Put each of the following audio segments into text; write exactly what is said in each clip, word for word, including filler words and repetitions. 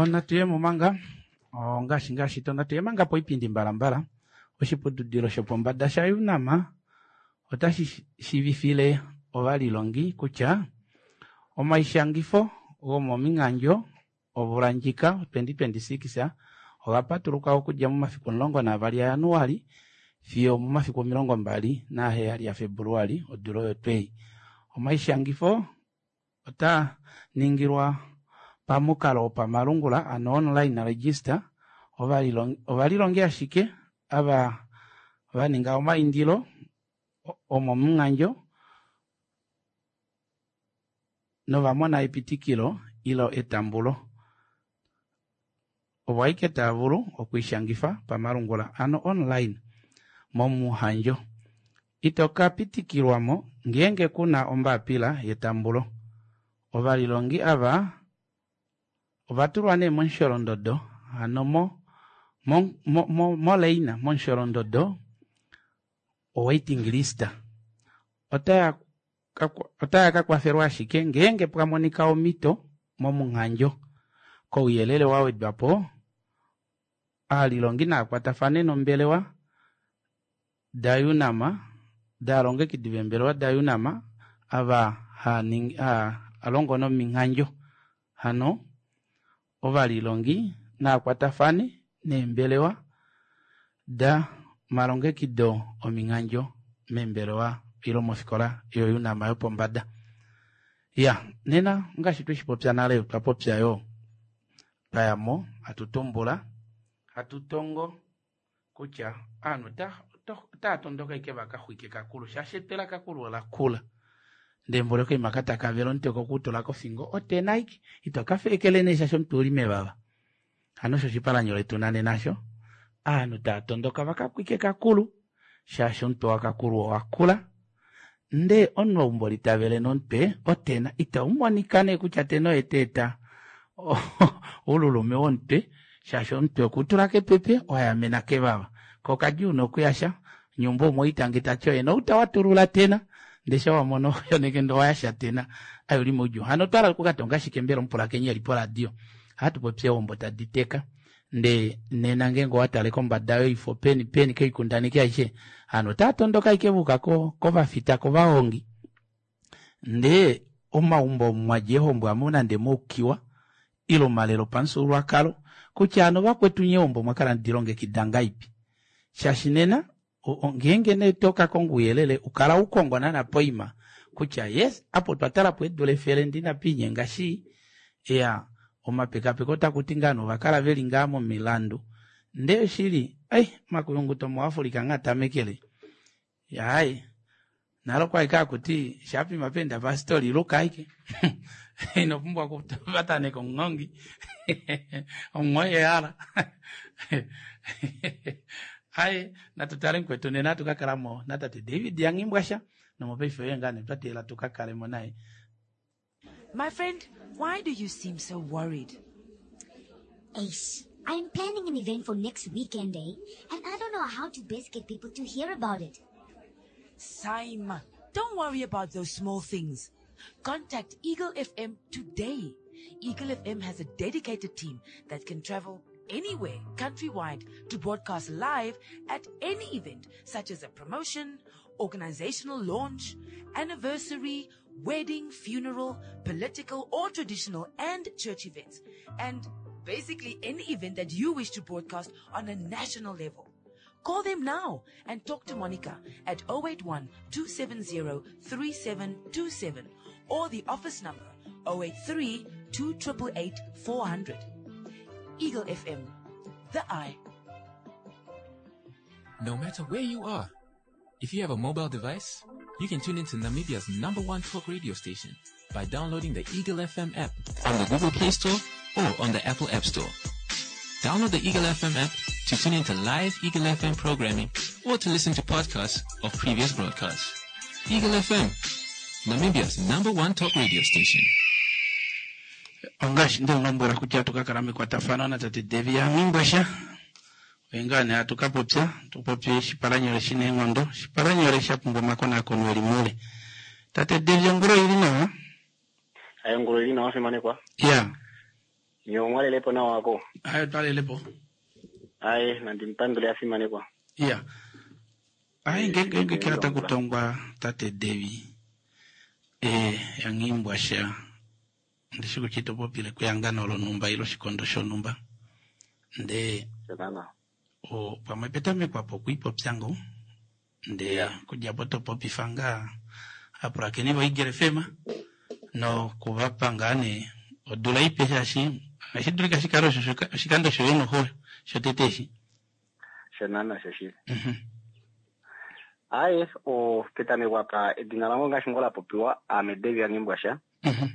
Natu ye mo manga ongaashi ngaashi to natu ye manga poipindi mbalambala. Oshiputudilo shopombada shaUNAM otashi shiivifile ovalilongi kutya omaishangifo gomominghandjo ovula ndjika twenty twenty six oga patuluka okudja momafiku omulongo naavali aJanuali fiyo omomafiku omilongo mbali naheyali yaFebuluali odula oyo twei. Omaishangifo ota ningilwa pamukalo wopamalungula ano online register. Ovalilongi ashike ava vaninga omaindilo omomunghandjo novamona epitikilo ilo etambulo ovo ashike tava vulu okwiishangifa pamalungula ano online momuhandjo. Ito ka pitikilwamo ngeenge kuna ombapila yetambulo. Ovalilongi ava ovatulwa nee momusholondodo hano mo moleina momusholondodo owaiting list. Otaya kakwafelwa ashike ngeenge pwamonika omito momuhandjo. Kouyelele wawedwapo aalilongi naakwatafane nombelewa daUNAM daalongekidi veembelewa daUNAM ava haalongo nomihandjo hano ovalilongi naakwatafane neembelewa da malongekido omihandjo meembelewa ile mofikola yoUNAM yopombada. Ya nena ngaashi tweshipopya nale otwa popya yoo twayamo hatu tumbula hatu tongo kutya ovanhu otava tondoka ashike vakaxwike kakulu shaashi etwe lakakulu olakula ndee mboli okaima katakavela omutwe okutula kofingo otena ashike ito kafeekele nee shaashi omutwe ouli mevava. Hano osho oshipalanyole tuna nena osho ovanhu tava tondoka vakaxwike kakulu shaashi omutwe wakakulu owakula ndee omunhu ou mboli tavele nomutwe otena itaumonika nee kutya tena oye teeta oululume womutwe shaashi omutwe okutula kepepe wayamena kevava ko kadjuu nokuyasha nyumba umwe oitange tati oye nouta watulula tena ndee shawamono yoneke owayasha tena ai uli moudjuu. Hano otwahala okukatonga shike mbela omupulakenyi eli poradio ohatu popi eehombo tadi teka ndee nena ngeenge owatale kombada yoifo peni peni koikundaneki aishe ovanhu otava tondoka ashike vauka kovafita kovahongi ndee omaumbo omu mwadja eehombo amu nande mwaukiwa ile omalelo opamufyuululwakalo kutya hano vakwetu nyee eehombo omwakala hamudilongekida ngahelipi shaashi nena ngeenge nee tokakonga ouyelele ukala ukongo naana poima kutya yes apa otwa talapo eedula efele ndee inapiinyenga shii iya omapekapeko otakuti ngaa nee ovakala veli ngaa momilandu ndee oshili ai omakuyunguto muAfrica nghee atamekele aaye nale okwali hakuti shaapima peenda pastori luka ashike inopumbwa okupataneka omuhongi omuhongi ehala aye natu tale mukwetu nena hatu kakalamo natate David yaNghimbwasha nomopaife oye ngaa nee twa teelela tukakalemo naye. My friend, why do you seem so worried? Eish, I'm planning an event for next weekend, eh? And I don't know how to best get people to hear about it. Saima, don't worry about those small things. Contact Eagle F M today. Eagle F M has a dedicated team that can travel anywhere countrywide to broadcast live at any event, such as a promotion, organizational launch, anniversary, wedding, funeral, political or traditional and church events, and basically any event that you wish to broadcast on a national level. Call them now and talk to Monica at oh eight one, two seven zero, three seven two seven or the office number oh eight three, two triple eight, four hundred. Eagle F M, the eye. No matter where you are, if you have a mobile device, you can tune into Namibia's number one talk radio station by downloading the Eagle F M app on the Google Play Store or on the Apple App Store. Download the Eagle F M app to tune into live Eagle F M programming or to listen to podcasts of previous broadcasts. Eagle F M, Namibia's number one talk radio station. Ongaashi ndemulombwela kutya tukakala mekwatafano natate Devi yaNghimbwasha oye ngaa nee hatu kapopya tupopye oshipalanyole shina eenghondo oshipalanyole sha pumbwa omakonakono eli moule. Tate Devi ongula oili nawa? Aye, ongula oili nawa fimanekwa. Ya. Nyomwalelepo nawa wako. Aye twalelepo. Aye, nandi mpandule afimanekwa. Iya. Aye ngenge ngenge kila takutongwa tate Devi. Eh yangimbwa sha. Ndishi kuchito popile kuyangano lonumba ilo shikondo shonumba. Nde Shonana. o pamwe petamekwa po kuipopya ngo. Nde Yeah. kudja po topopifa ngaa apulakeni voEagle F M nokuvapa ngaa nee odula ipe shaashi ohashi dulika shikale osho oshikando shoye noho shotete eshi. Shonana shoshili. Mhm. Aye, o petamekwa pa edina langu ngaashi ngo la popiwa ame Devi Yangimbwasha. Mhm.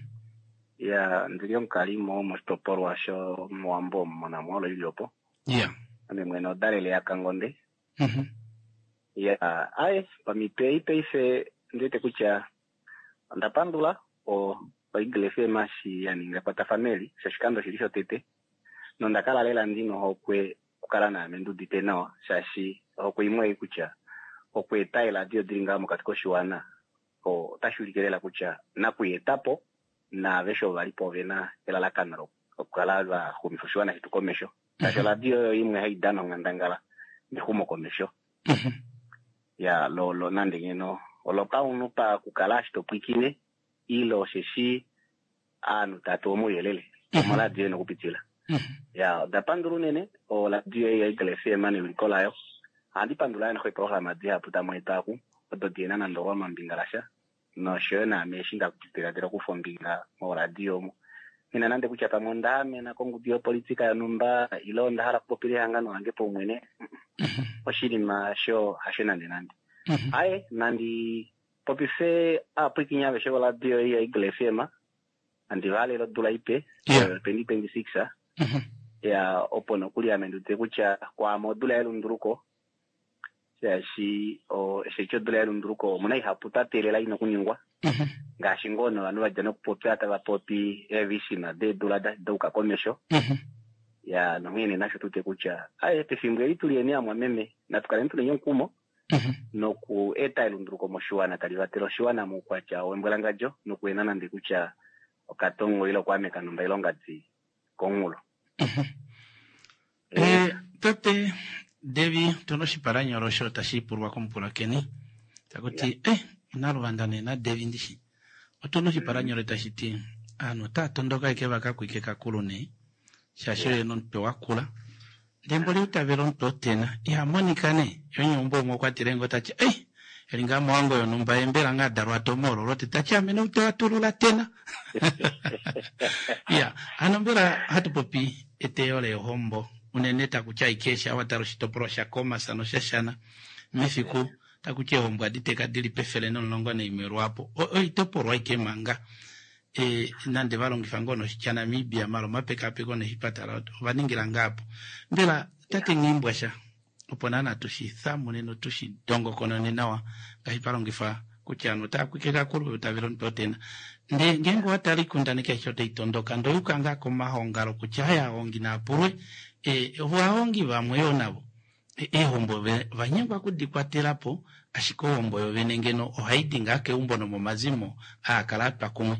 Ya ndili omukalimo moshitopolwa shOmuwambo mOnamwolo ili opo. Yeah. Ame mwene odalele yaKangonde. Mhm. Ya, aye, pamito ei paife ndiwete kutya onda pandula o oEagle F M eshi ya ninga ekwatafano eli shoshikando shili shotete nonda kala lela ndina ohokwe okukala naame ndiudite nawa shaashi ohokwe imwe ei kutya okweeta eeladio dili ngaho mokati koshiwana otashi ulike lela kutya nakuyeetapo naaveshe ovo valipo ovena elalakano lokukala vaxumifa oshiwana shetu komesho shaashi oradio oyo imwe hai dana onghandangala mexumo komesho. Mhm. Ya lo lo nande ngeno olopaunhu pakukala ashi topwikine ile osheshi aanhu tatu omauyelele omoradio ena okupitila. Mhm. Ya onda pandula unene oradio ei yaEagle F M newiliko layo. Ohandi pandula yo noxo eeprograma dihapu tamu eta oku odo dihena nande olwamambinga lasha noshoyo naame eshi ndadiladila okufa ombinga moradio omo. Ngina nande kutya pamwe onda amena kongudu yopolitika yonhumba ile onda hala okupopila ehangano lange paumwene, oshinima sho hasho nande nande. Mhm. Aye, nandi popife aapwikinya aveshe voradio ei yaEagle F M andi vahalele odula ipe Yeah. twenty twenty-six. Mhm. Ya opo nokuli ame ndiwete kutya kwaame odula yelunduluko shaashi osheshi odula yelunduluko omuna ihapu twa teelela ina okuningwa. Mhm. Ngaashi ngoo novanhu vadja nokupopya tava popi eevishina deedula dauka komesho. Mhm. Ya nonghene nasho tuwete kutya aye pefimbo eli tuli eni amwameme natu kaleni tuli omukumo Mhm. noku eta elunduluko moshiwana tali vatele oshiwana moukwatya wembwalangadjo nokuena nande kutya okatongo ile okwaameka nomba ilongadi komunghulo. Mhm. Eh, tate Devi, tuna oshipalanyolo osho tashi pulwa komupulakeni takuti eh onaluvanda nena Devi ndishi. Otuna oshipalanyolo tashi ti aanhu otaa tondoka eke vakakwike kakulu nee shaashi oye nomutwe wakula ndee mboli utavela omutwe otena ihamonika nee yonyumba umwe okwatile ngo tati eh eli ngaa mowango yonhumba ye mbela ngaa dalwa tomoololo te tati ame noutwe watulula tena. Ya hano mbela hatu popi eteyo leehombo unene takutya aike awatala oshitopolwa shaKhomas noshashana mefiku takutya eehombo aditeka dili pefele nomulongo naimwe lwaapo oitopolwa aike manga e nande valongifa ngoo noshitya Namibia malo omapekapeko neshipatala ovaningila ngaapo. Mbela tate Nghimbwasha opo naana tushi thamune notushi dongokonone nawa ngaashi palongifa kutya ovanhu otava kwike kakulu tavela omutwe otena. Ndee ngeenge owatala oikundaneki aishe otai tondoka ndoyuka ngaa komahongalo kutya aya ahongi naapulwe e ovahongi vamwe yoo navo eehombo vanyengwa okudikwatelapo ashike ohombo yovene ngeno ohaidi ngaa keumbo nomomazimo aakala atwa kumwe.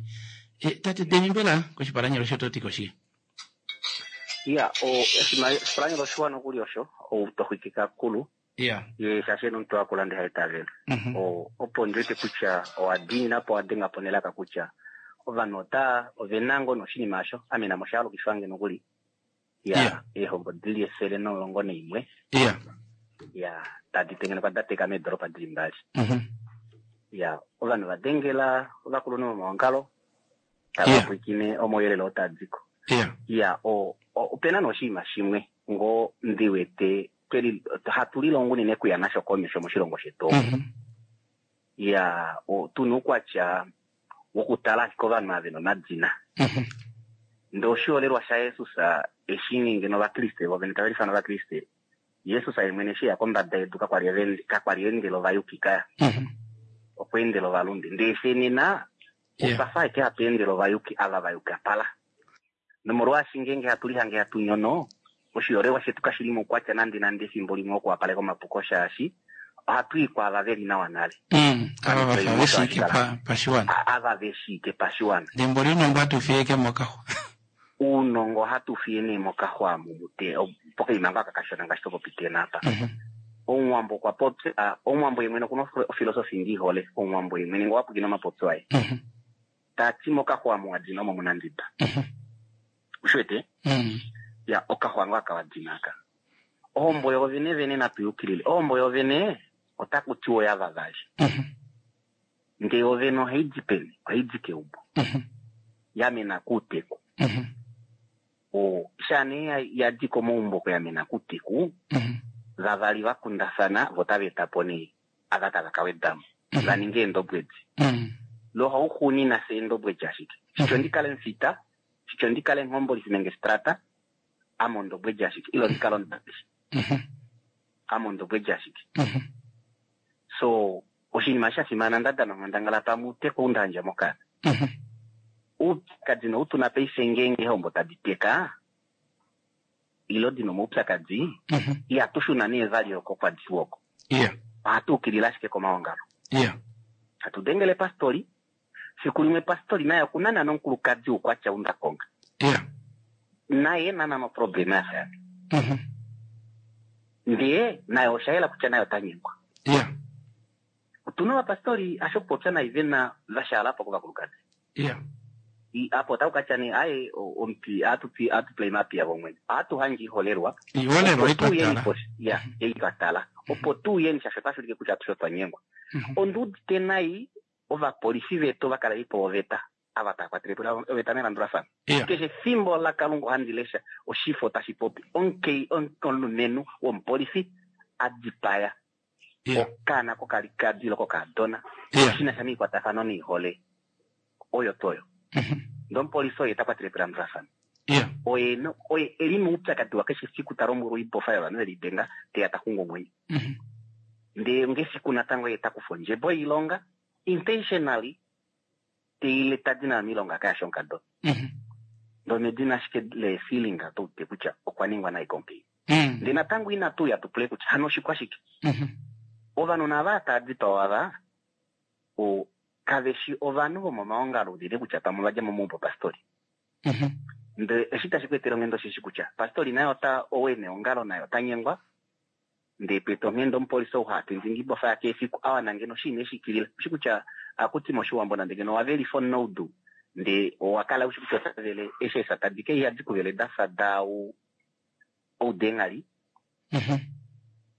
E, tate Devi mbela koshipalanyolo osho toti koshike? Ya, oshipalanyolo oshiwa nokuli osho outoxwiki kakulu. Ya. Ye shaashi ena omutwe wakula ndee haitavela. Mhm. Opo ndiwete kutya owa diinina po owa denga po nelaka kutya ovanhu ota ovena ngoo noshinima osho ame namo shaalukifange nokuli. Ya, Yeah. eehombo dili efele nomulongo naimwe. Ya. Ya, tadi tengenekwa da teka meedoropa dili mbali. Mhm. Ya, ovanhu vadengela ovakulunhu vomaongalo tava Yeah. pwiikine omauyelele oo taadiko. Ya. Ya, o opena noshinima shimwe ngoo ndiwete tweli hatu lilongo unene kuya nasho komesho moshilongo shetu. Mhm. Ya, tuna oukwatya wokutala ashike ovanhu ava vena omadina. Mhm. Ndee oshiholelwa shaJesus eshi ngeno ovakriste vovene tava lifana ovakriste Jesus ye mwene eshi eya kombada yedu kakwali kakwali endela ovayuki kaya. Mhm. Okwa endela ovalunde. Ndee fye nena Yeah. otwafa ashike hatu endele ovayuki ava vayuka pala. Nomolwaashi ngeenge hatu lihange hatu nyono oshiholelwa shetu kashili moukwatya nande nande efimbo limwe okuwapaleka omapuko shaashi ohatu i kwaava veli nawa nale. Mm, ava vafa veshiike pa pashiwana. Ava veshiike pashiwana. Ndee mboli unongo atu fiyeke mokaxwa. Uunongo hatu fiye nee mokaxwamu mute pokaima ngaka kashona ngaashi topopite napa. Omuwambo okwa popya, omuwambo ye mwene okuna ofilosofi ndiihole, omuwambo ye mwene ngowapukina omapopyo aye. Tati mokaxwamu wadina omo muna ndida. Ushiwete? Ya okaxwa aka wadina aka. Ohombo yovene vene natuyukilile. Ohombo yovene otaku tiwa oya vavali. Ndee yovene ohaidi peni? Ohaidi keumbo. Yamena kuuteku. O shane yadi komaumbo kuyamena kuuteku. Vavali vakundafana vo tava eta po nee ava tava ka wedamo. Va ninge eendobwedi. Lo hauxuunina se eendobwedi ashike. Shityo ndikale mufita, shityo ndikale nghombolisi nenge strata, ame ondobwedi ashike. Ilo ndikale omudaleli. Ame ondobwedi ashike. So oshinima sha fimana ndadana onghandangala pamwe uteku undandja mokana. Oupyakadi noutuna paife ngeenge eehombo tadi teka, ilo dina omaupyakadi, ihatu shuna nee vali oko kwa diwa oko. Ohatu ukilile ashike komaongalo. Hatu dengele pastori, fiku limwe pastori naye okuna nana omukulukadi ukwatya undakonga. Naye nana maproblema ya fayana. Ndee naye oshayela kutya naye ota nyengwa. Otuna ovapastori asho kupopya naye vena vashaalapo kovakulukadi. Apo otaku katya nee aye omupi atupi atuplay mapia vomwene. Atuhangi iholelwa. Iholelwa Opo tuu yeni itwatala. po- ya, eitwatala. Opo tuu yeni shasho otashi ulike kutya atushe otwa nyengwa. Onduudite nai ovapolifi vetu ovakalelipo voveta ava tava kwatele po oveta melandulafano. Keshe efimbo laKalunga ohandi lesha oshifo tashi popi omukei omulumenhu womupolifi a dipaya okaana kokalikadi ilo kokadona shina sha miikwatafano niihole oyo toyo. Ndee omupolifi oye ta kwatele po elandulafano. Oye no oye eli moupyakadi wa keshe efiku ta lombwelwa oibofa yovanhu veli denga teya ta xungu omwenyo. Ndee ngefiku natango ye ta kufa ondjebo yoilonga intentionally teile tadi nayo miilonga kayasha omukadona. Ndee omedina ashike le feeling oto kutya okwa ningwa nai komukainhu. Ndee natango inatu uya tupule kutya hano oshikwashike. Ovanhu nava tava dipawa ava o kaveshi ovanhu vomomaongalo unene kutya pamwe vadja momaumbo pastori. Ndee eshi tashi ku etele onghenda osheshi kutya pastori naye ota owe neongalo naye ota nyengwa. Ndee pwete onghenda omupolisi ou hatindingi ibofa yake efiku awana ngeno oshinima eshikilila. Oshi kutya akuti moshiwambo nande ngeno wavelifa omunaudu ndee owakala ushi kutya otavele eshi eesa tadi ke ihadi kuvele dafa dau oudengali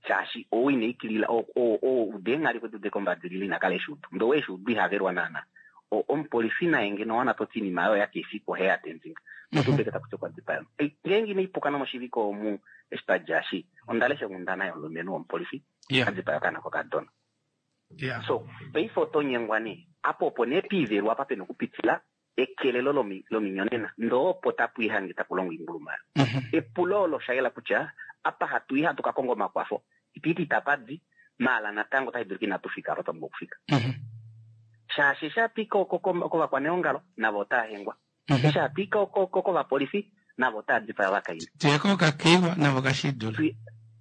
shaashi ou ina ikilila oudengali kwetu kombadilila ina kala eshuudu. Ndee ou eshuudu ihavelwa naana. Omupolifi naye ngeno wana toti iinima oyo yake efiku ohe ya tenzinga. Otubeke takuti okwa dipaya. Ngeenge ina ipuka nomoshiviko omu eshi twadja eshi onda lesha onghundana yomulumenhu womupolifi a dipaya okaana kokadona. So paife oto nyengwa nee apo opo nee piivelwa apa pena okupitila ekelelo lominyonena ndee opo tapu ihange taku longwa oimbuluma. Epulo olo oshayela kutya apa hatu i hatu ka konga omakwafo itiiti itapa di maala natango otashi dulika inatu fika apa twa pumbwa okufika. Shaashi eshi hatu i kovakwaneongalo navo otava hengwa. Eshi hatu i kovapolifi navo otava dipaya ovakainhu. Tuye kokakeiwa navo kashidule.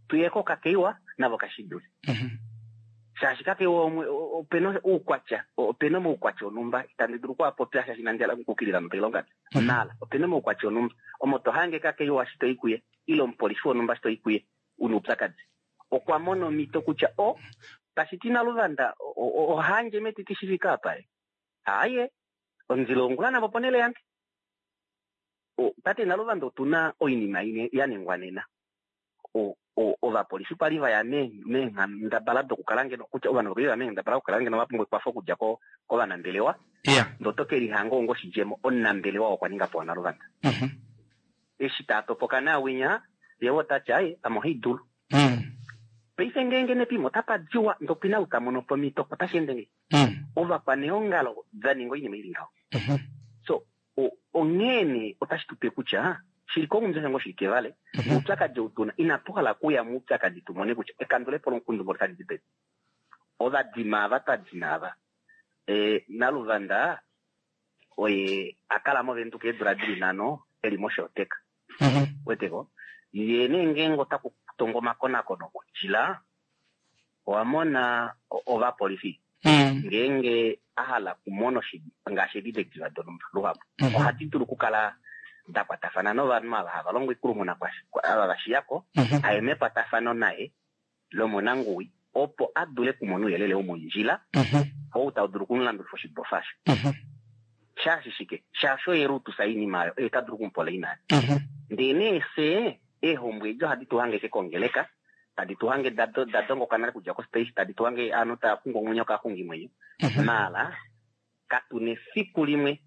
Tuye kokakeiwa navo kashidule. Shaashi kakeiwa opena oukwatya, opena omaukwatya onumba itandi dulu okuapopya shaashi inandi hala okukukilila nopailonga. Maala opena omaukwatya onumba omo to hange kakeiwa eshi toi kuye ile omupolifi wonumba eshi toi kuye una oupyakadi. Okwa mona omhito kutya o tashi ti naluvanda ohandje metiti shifika apa ye. Aaye omundilo wongula navo ponele yange. Tate naluvanda otuna oinima imwe ya ningwa nena. Ovapolifi kwali vaya meenghendabala dokukala ngeno kutya ovanhu kwali vaya meenghendabala dokukala ngeno va pumbwa ekwafo okudja kovanambelewa. Ndee oto ke lihanga onga oshidjemo omunambelewa okwa ninga po naluvanda. Eshi taa topoka naawinya ye otati aye ame ohaidulu. Paife ngeenge nepimo otapa diwa ndee opena ou ta mono po omhito otashi ende ngahelipi? Ovakwaneongalo va ninga oinima ili ngaho. So onghee nee otashi tupe kutya shili kongumbi osho ngoo shili kevale oupyakadi ou tuna inatu hala okuya moupyakadi tumone kutya ekandulepo lomukundu ngolo otali di peni. Ovadima ava twadina ava naluvanda oye akala movenduka eedula dili nhano eli moshooteka. Weteko ye nee ngeenge otaku tongwa omakonakono mondjila owamona ovapolifi ngeenge ahala okumona ngaashi edidektiva donumba luhapu ohadi dulu okukala dakwatafana novanhu ava hava longo ikulumuna ava vashiyako aye mekwatafano naye lomonanguwi opo a dule kumona ouyelele womondjila ou tau dulu okumulandulifa oshibofa osho. Shaashi shike? Shaashi oye lutusa oinima oyo, oye ta dulu okumupola inayo. Ndee nee fye eehombo edi ohadi tu hange kongeleka, tadi tu hange da dongoka nale kudja kospace, tadi tu hange aanhu taya xungu omwenyo kaaxungimwenyo. Maala katu nefiku limwe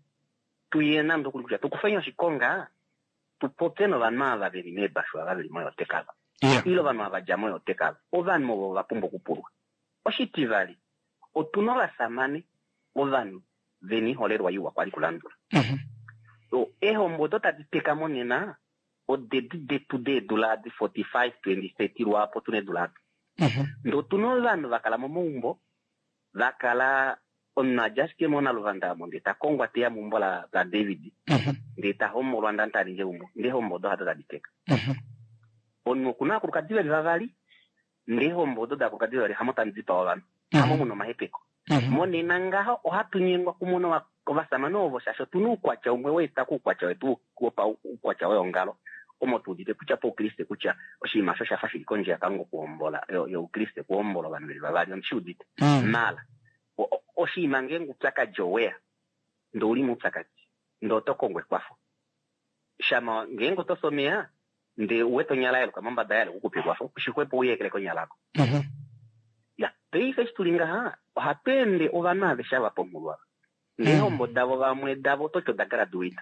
tuye nande okuli kutya tukufeni oshikonga tupopye novanhu ava veli meebashu ava veli moyotekava. Ile ovanhu ava dja moyotekava. Ovanhu ovo va pumbwa okupulwa. Oshitivali, otuna ovasamane ovanhu vena iholelwa iwa kwali kulandula. Eehombo odo tadi teka monena odedi detu deedula adi forty-five, twenty, thirty lwaapo tuna eedula ado. Ndee otuna ovanhu vakala momaumbo, vakala omunhu adja ashike monaluvanda omo ndee ta kongwa teya meumbo laDavid, ndee ta hombolwa ndee ta ningi eumbo, ndee eehombo odo hado tadi teka. Omunhu okuna ovakulukadi veli vavali, ndee eehombo odo daakulukadi vavali hamo tamu dipaa ovanhu, hamo muna omahepeko. Monena ngaho ohatu nyengwa kumona ovasamane ovo shaashi otuna oukwatya umwe weeta koukwatya wetu wopaukwatya weongalo omo tuudite kutya poukriste kutya oshinima osho shafa shili kondje yaKalunga okuhombola youkriste okuhombola ovanhu veli vavali ondishiudite. Maala oshinima ngeenge oupyakadi oweya ndee ouli moupyakadi ndee oto kongo ekwafo. Shama ngeenge oto someya ndee uwete onyala yaluka mombada yaluka okukupa ekwafo, oshixwepo uyekele konyala yako. Ya, paife eshi tuli ngaha ohatu ende ovanhu aveshe ava pomulwa. Neehombo davo vamwe davo ototi oda graduate.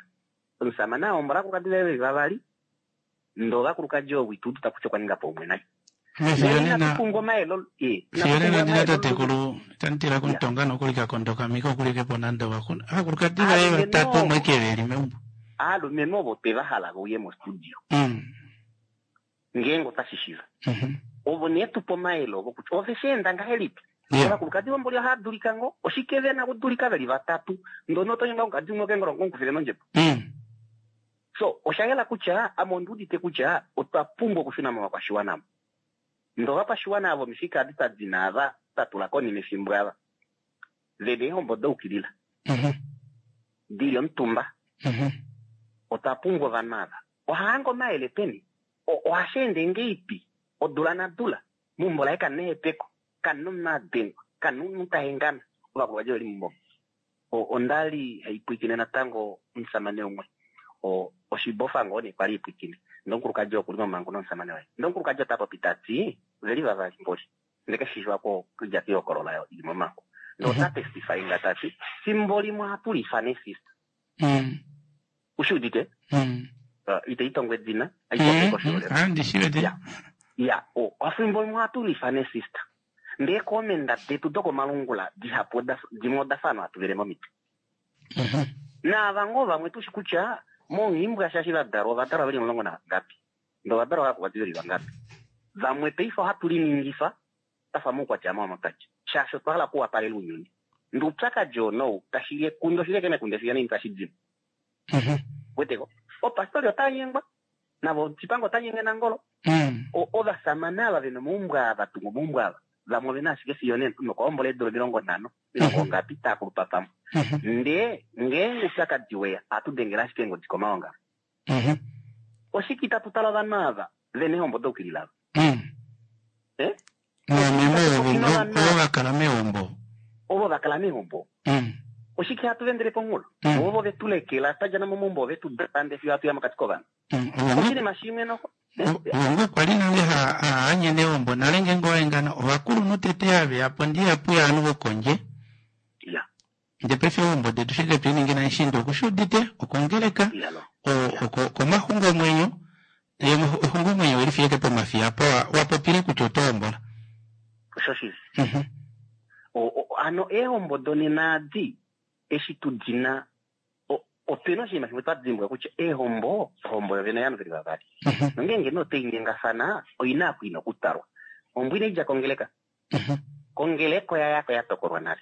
Omusamane ahombola ovakulukadi vaye veli vavali, ndee ovakulukadi ovo ituudu kutya okwa ninga po umwe naye. Fiyo nena ndina tatekulu itanditila kumutonga nokulika kondoka mika okulike po nande ovakulukadi vaye vatatu omwe veli meumbo. Aalumenhu ovo twe va hala vauye mostudio. Ngeenge otashi shiva. Ovo nee tupe omayele ovo kutya ove shi enda ngahelipi. Ovakulukadi vomboli ohava dulika ngoo, oshike vena kudulika veli vatatu, ndee oto nyengwa omukadi umwe okengolongo omukufile nondjebo. So osha yela kutya ame ondiudite kutya otwa pumbwa okushuna movakwashiwana. Ndee ovakwashiwana avo omifika adi tadina ava tatula konima efimbo ava vena eehombo daukilila dili omutumba. Otwa pumbwa ovanhu ava. Ohahange omayele peni? Ohashi ende ngeipi? Odula nadula meumbo laye kamuna ehepeko, kamuna omunhu adengwa, kamuna omunhu tahengana, ovakulukadi veli meumbo. Ondali haipwiikine natango omusamane umwe oshibofa ngoo nee kwali ipwiikine. Ndee omukulukadi okuli momangu nomusamane waye. Ndee omukulukadi ota popi tati veli vavali mboli. Ndee keshiwa ko kudja kehokolola yo ili momangu. Ndee ota testify nga tati fimbo limwe ohatu lifane sister. Ushiudite? Ite itongwe edina, aipope koshiholelwa. Ya, ofimbo limwe ohatu lifane sister. Ndee koomenda detu dokomalungula dihapu dimwe oda fa hatu vele momitwe. Naava ngoo vamwe tushi kutya monhimbwa shaashi vadalwa ovadalwa veli omulongo nangapi, ndee ovadalwa vakulukadi veli vangapi. Vamwe paife ohatu liningifa tafa moukwatya wamomatati shaashi otwa hala okuwapalela ounyuni. Ndee oupyakadi oo nou tashi ekundu oshili eke mekundu efiya nini tashi dimo. Weteko opastori ota nyengwa navo Chipango ota nyenge nangolo. Ovasamane ava vena omaumbo ava tunga omaumbo ava vamwe ovena ashike fiyo nena nokuhombola eedula omilongo nhano omilongo ngapi taa kulupa pamwe. Ndee ngeenge oupyakadi weya ohatu dengele ashike eengodi komaongalo. Oshike itatu tala ovanhu ava vena eehombo daukilila ava? Ovo vakala meumbo. Ovo vakala meumbo. Oshike hatu vendele ponghulo? Ovo vetu lekela twadja momaumbo ove tu dande fiyo hatu ya mokati kovanhu. Oshinima shimwe noho Ovongo kwali nale haanyene eumbo nale ngeenge owaengana ovakulunhu tete haveya po ndihapu yaanhu vokondje. Ndee paife eehombo detu shike twiiningi naishiinda okushuudite okongeleka okomaxungomwenyo exungomwenyo olifiyeke pomafiya po wapopile kutya oto hombola. Oshoshili. Hano eehombo donena adi eshi tudina opena oshinima shimwe twa dimbwa kutya eehombo ohombo yovene ovanhu veli vavali. Nongeenge nee otoi nyengafana oina oku ina okutalwa. Ohombo inaidja kongeleka. Kongeleka oya yako ya tokolwa nale.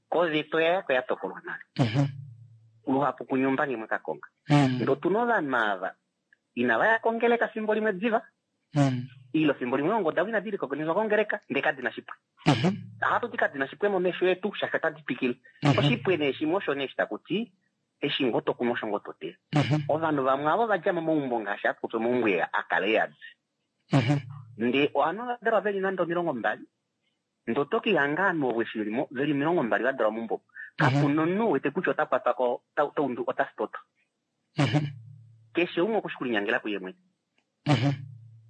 Koveta oya yako ya tokolwa nale. Luhapu kunyumba ngemwe kakonga. Ndee otuna ovanhu ava inava ya kongeleka fimbo limwe diva. Ile fimbo limwe eehombo davo inadi likokonizwa kongeleka ndee kadina shipwe. Ohatu ti kadina shipwe momesho etu shaashi otadi twikile. Oshipwe nee shimwe osho nee eshi takuti Eshi ngoo to kunu osho ngoo to teya. Mhm. Ovanhu vamwe avo va dja momaumbo ngaashi hatu popi omaumbo ea a kala e yadi. Mhm. Ndee ovanhu va dalwa veli nande omilongo mbali, ndee oto ke lihanga ovanhu ovo eshi veli mo- veli omilongo mbali va dalwa meumbo. Kapuna omunhu wete kutya ota kwatwa ko, ota- ota undu- ota sitoto. Mhm. Keshe umwe oku shi kulinyangela kuye mwene. Mhm.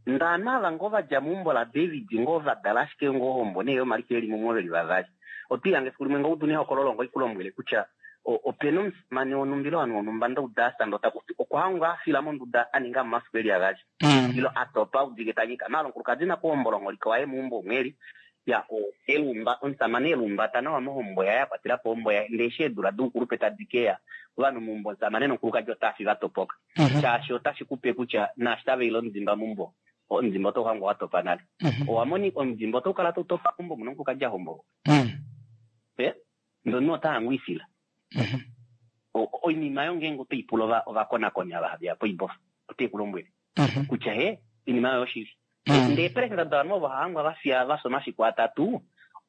Ndee ovanhu ava ngoo va dja meumbo laDavid ngoo va dala ashike ngoo ohombo nee yomaliko eli mumwe veli vavali. Oto ihange efiku limwe ngoo udu nehokololo ngoo ikulombwele kutya o- opena omusamane wonhumba ile ovanhu vonhumba ndauda asanda otakuti okwa hangwa afila monduda a ninga momafiku eli avali. Mm. Ilo a topa udike ta nyika. Maala omukulukadi nakuhombola omuholike waye meumbo omu eli. Ya, o- elumba, omusamane elumbata nawa mohombo yaye, a kwatela po ohombo yaye. Ndee eshi eedula doukulupe tadi keya, ovanhu meumbo omusamane nomukulukadi otava fi va topoka. Mhm. Shaashi otashi kupe kutya naashi tava ile omudimba meumbo, omudimba otau hangwa wa topa nale. Mhm. Owa moni omudimba otau kala tau topa meumbo muna omukulukadi a hombolwa. Mm. Eh? Ndee omunhu ota hangwa ifila. Mhm. O- oinima yo ngeenge otoi pula ova- ovakonakoni ava have ya poibofa, ote ku lombwele Mhm. kutya he, oinima oyo oshili. Mm. Ndee peresenda dovanhu ovo hangwa va fiya va fya omafiku atatu,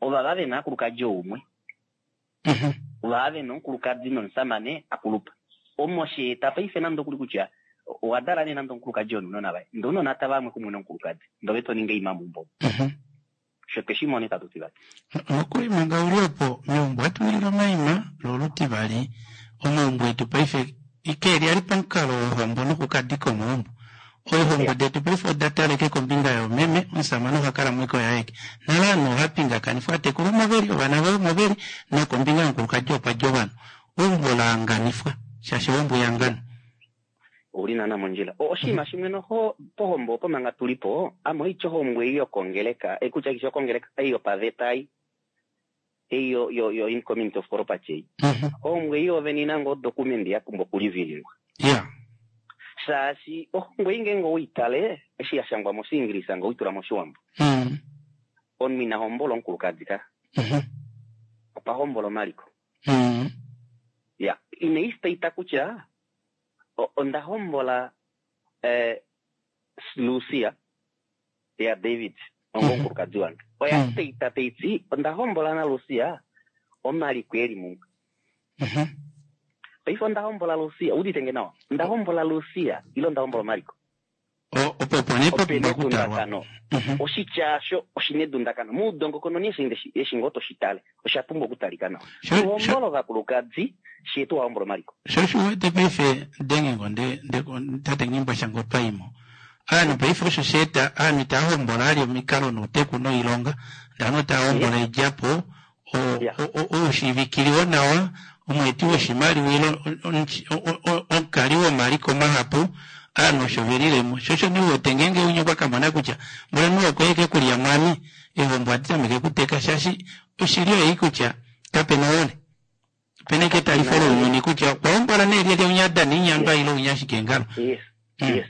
ovava ve na omukulukadi oumwe. Mhm. Ovava ve na omukulukadi nomusamane a kulupa. Omo she eta paife nande okuli kutya owa dala nee nande omukulukadi onounona vaye. Ndee ounona tava amwe kumwe nomukulukadi. Ndee ove to ningi oima meumbo. Mhm. Sho tweshi mona itatu ti vati. Nokuli manga uli opo meumbo ohatu ningi omaima lo olutivali omaumbo etu paife ikeeli ali pamukalo wohombo nokukadika omaumbo. Oihombo detu paife oda taleke kombinga yoomeme, omusamane oha kala mweko yaeke. Nale ovanhu oha pingakanifwa atekulu omo veli, ovana vaye omo veli, nokombinga yomukulukadi okwa dja ovanhu. Eumbo la hanganifwa, shaashi ohombo ihangano. Ouli naana mondjila. O- Oshinima shimwe noho pohombo opo manga tuli po, ame oitya ohombo ei yokongeleka, eh, kutya kishi yokongeleka, ei yopaveta ei. Ei yo, yo, yo in community of property ei. Mhm. Ohombo ei yoovene ina ngoo document ya pumbwa okulivilingwa. Yeah. Shaashi ohombo ei ngeenge oweitale, eshi ya shangwa moshiingilisa ngee oweitula moshiwambo. Mm. Omunhu ina hombola omukulukadi ka. Mhm. Okwa hombola omaliko. Mm. Ya, inai state kutya o- onda hombola eh, Lucia ya David onga Mhm. omukulukadi wange. Oya Mhm. state taiti onda hombola na Lucia omaliko eli mumwe. Mhm. Paife onda hombola Lucia, udite nge nawa. Onda hombola Lucia ile onda hombola omaliko. O- Opo opo nee pa Opena pumbwa okutalwa. edundakano. Mhm. Oshitya osho oshina edundakano. Moudongokononi eshi ndeshi- eshi ngoo toshi tale, osha pumbwa okutalika nawa. Sho- sho- Tuhombola ovakulukadi, shee tuwahombola omaliko. Sho shi wete paife dengengo nde nde tate Nghimbwasha ngo twaimo. Ovanhu paife osho sha eta ovanhu itava hombola ali omikalo nouteku noilonga, ndee ovanhu otava hombola oidjapo, o- Yeah. o- o- oushiivikili nawa, omweeti woshimaliwa ile o- o- o- omukali womaliko mahapu, ovanhu osho velilemo. Sho osho nee uwete ngeenge umwe okwa kamona kutya mboli okwa eke kulya mwami, eehombo ohadi tameke okuteka shaashi oshili oyo ei kutya kapena ohole. Opena eke etalifo lounyuni kutya okwa hombola nee lyelye unya adana oinyandwa ile unya ashike ngalo. Yes. Mm. Yes.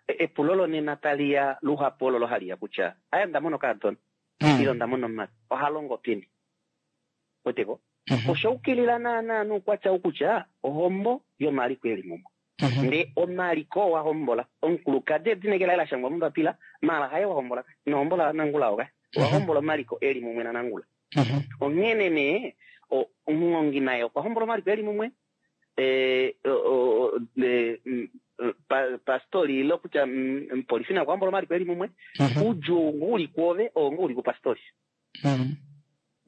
E- Epulo lonena tali ya luhapu ololo hali ya kutya aya onda mona okakadona Mm. ile onda mona omumati oha longo peni weteko Mhm. osha ukilila naana noukwatya ou kutya ohombo yomaliko eli mumwe. Mhm. Ndee omaliko wa hombola omukulukadi edina laye la shangwa mombapila maala haye wa hombola ino hombola nangula oka owa hombola omaliko eli mumwe nanangula. Mhm. Onghene nee o- omuhongi naye okwa hombola omaliko eli mumwe eh, o- o- e, mm, pa- pastori ile kutya mm, omupolifi naye okwa hombola omaliko eli mumwe. Mhm. Oudjuu ngo uli kwoove oo ngo uli kupastori. Mhm.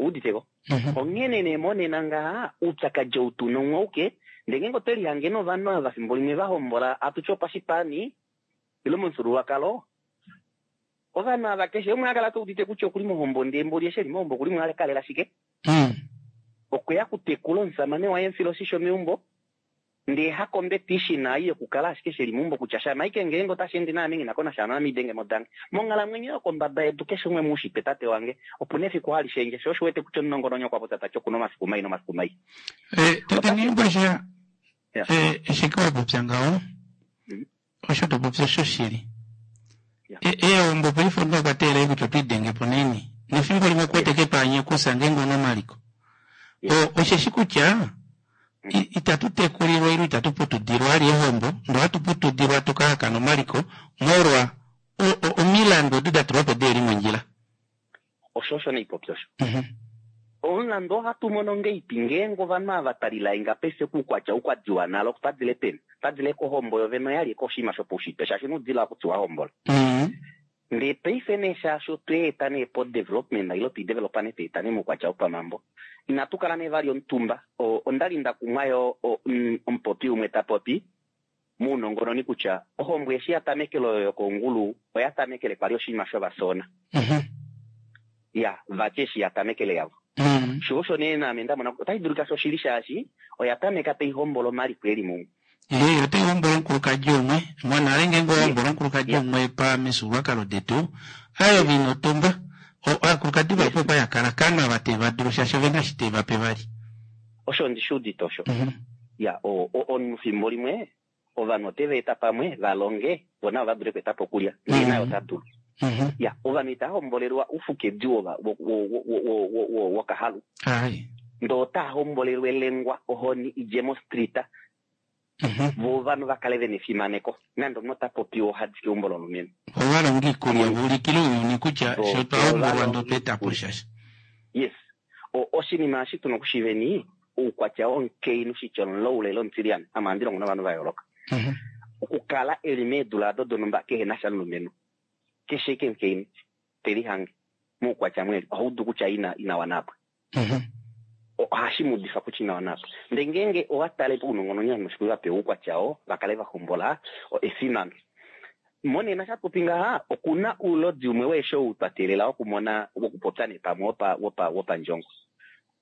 Uuditeko. Mhm. Onghene nee monena ngaha oupyakadi ou tuna umwe ndee ngeenge otwe lihange novanhu ava fimbo limwe va hombola atuti opashipani ile momufyuululwakalo ovanhu ava keshe umwe akala te udite kutya okuli mohombo ndee mboli eshi eli mohombo okuli mo kalela shike Mm. okweya kutekula omusamane waye mfila oshisho meumbo ndee hakompetition ei yokukala ashike sheli meumbo kutya shama ike ngeenge otashi ende naame nghi nako nasha naame idenge modange monghalamwenyo yokombada yedu keshe umwe muushitwe tate wange opuna efiku hali shendje sho osho wete kutya omunongononi okwa popya tati okuna omafiku mai nomafiku mai. Eh, tate Nghimbwasha Yeah. eh, eshi ke wapopya ngaho Mm. osho topopya oshoshili. Yeah. E- Eehombo paife omunhu okwa teelela kutya otwiidenge po naini nefimbo limwe okuwete kepaanye kusa ngeenge una omaliko. Yeah. O- Osheshi kutya i- itatu tekulilwa ile itatu putudilwa ali ehombo ndee ohatu putudilwa tukahakana omaliko molwa o- o- omilandu odo da tulwa po deeli mondjila. Osho osho neipopya osho. Mhm. Omulandu ohatu mono ngeipi ngeenge ovanhu ava talilainga paife kuukwatya oukwadiwa nalo padile peni padile kohombo yovene oyali koshinima shopaushitwe shaashi inudila okutiwa hombola. Mm. Ndee paife nee shaashi otweeta nee po development ile twidevelopa nee tweeta nee moukwatya wopamambo inatu kala nee vali omutumba. O- ondali nda kumwa yo o- mm, omupopi umwe ta popi mounongononi kutya ohombo eshi ya tamekele oyo yokongulu oya tamekele kwali oshinima shovasona Mhm. ya vati eshi ya tamekele yavo. Mm. Sho osho nee naame ndamona otashi dulika shoshili shaashi oya tameka taihombola omaliko eli mumwe. Ee, otai hombola omukulukadi umwe monale ngeenge ohombola omukulukadi Yeah. umwe pamifyuululwakalo detu ayo vinotumba aakulukadi vapo okwali akala kana va teva dulu shaashi ovena eshi teva pe vali. Osho ndishi udite osho. Mhm. Ya o- o- omunhu fimbo limwe ovanhu oteva eta pamwe valonge vo navo va dule okweeta po okulya ndee Mhm. naye ota dulu. Mhm. Ya ovanhu itava hombolelwa oufukedi wova- wo- wo- wo- wo- wo- wo- wokahalu Ai. ndee otaa hombolelwa elengwa ohoni idje mostrita Mhm. vo ovanhu vakale vena efimaneko nande omunhu ota popiwa ohadi keumbo lomulumenhu. Ovalonga iikulya vuulikile ouyuni kutya Vo- sho twa hombolwa ovalonga ndo tweeta po iikulya. shasha. Yes. O- oshinima eshi tuna okushiveni oukwatya womukainhu shitya omulaule ile omutilyane ame ohandi longo novanhu va yooloka. Mhm. Okukala eli meedula ado donhumba kehe na sha nomulumenhu keshe eke omukainhu telihange moukwatya mweli ohaudu kutya ina ina wana apa. Mhm. Ohashi mudifa kutya ina wana apa. Ndee ngeenge owa tale pounongononi ovanhu va pewa oukwatya oo vakale va hombola o- efimano. Monena shatupi ngaha okuna oulodi umwe weesho ou twa teelela wokumona wokupopya nee pamwe wopa wopa wopandjongo.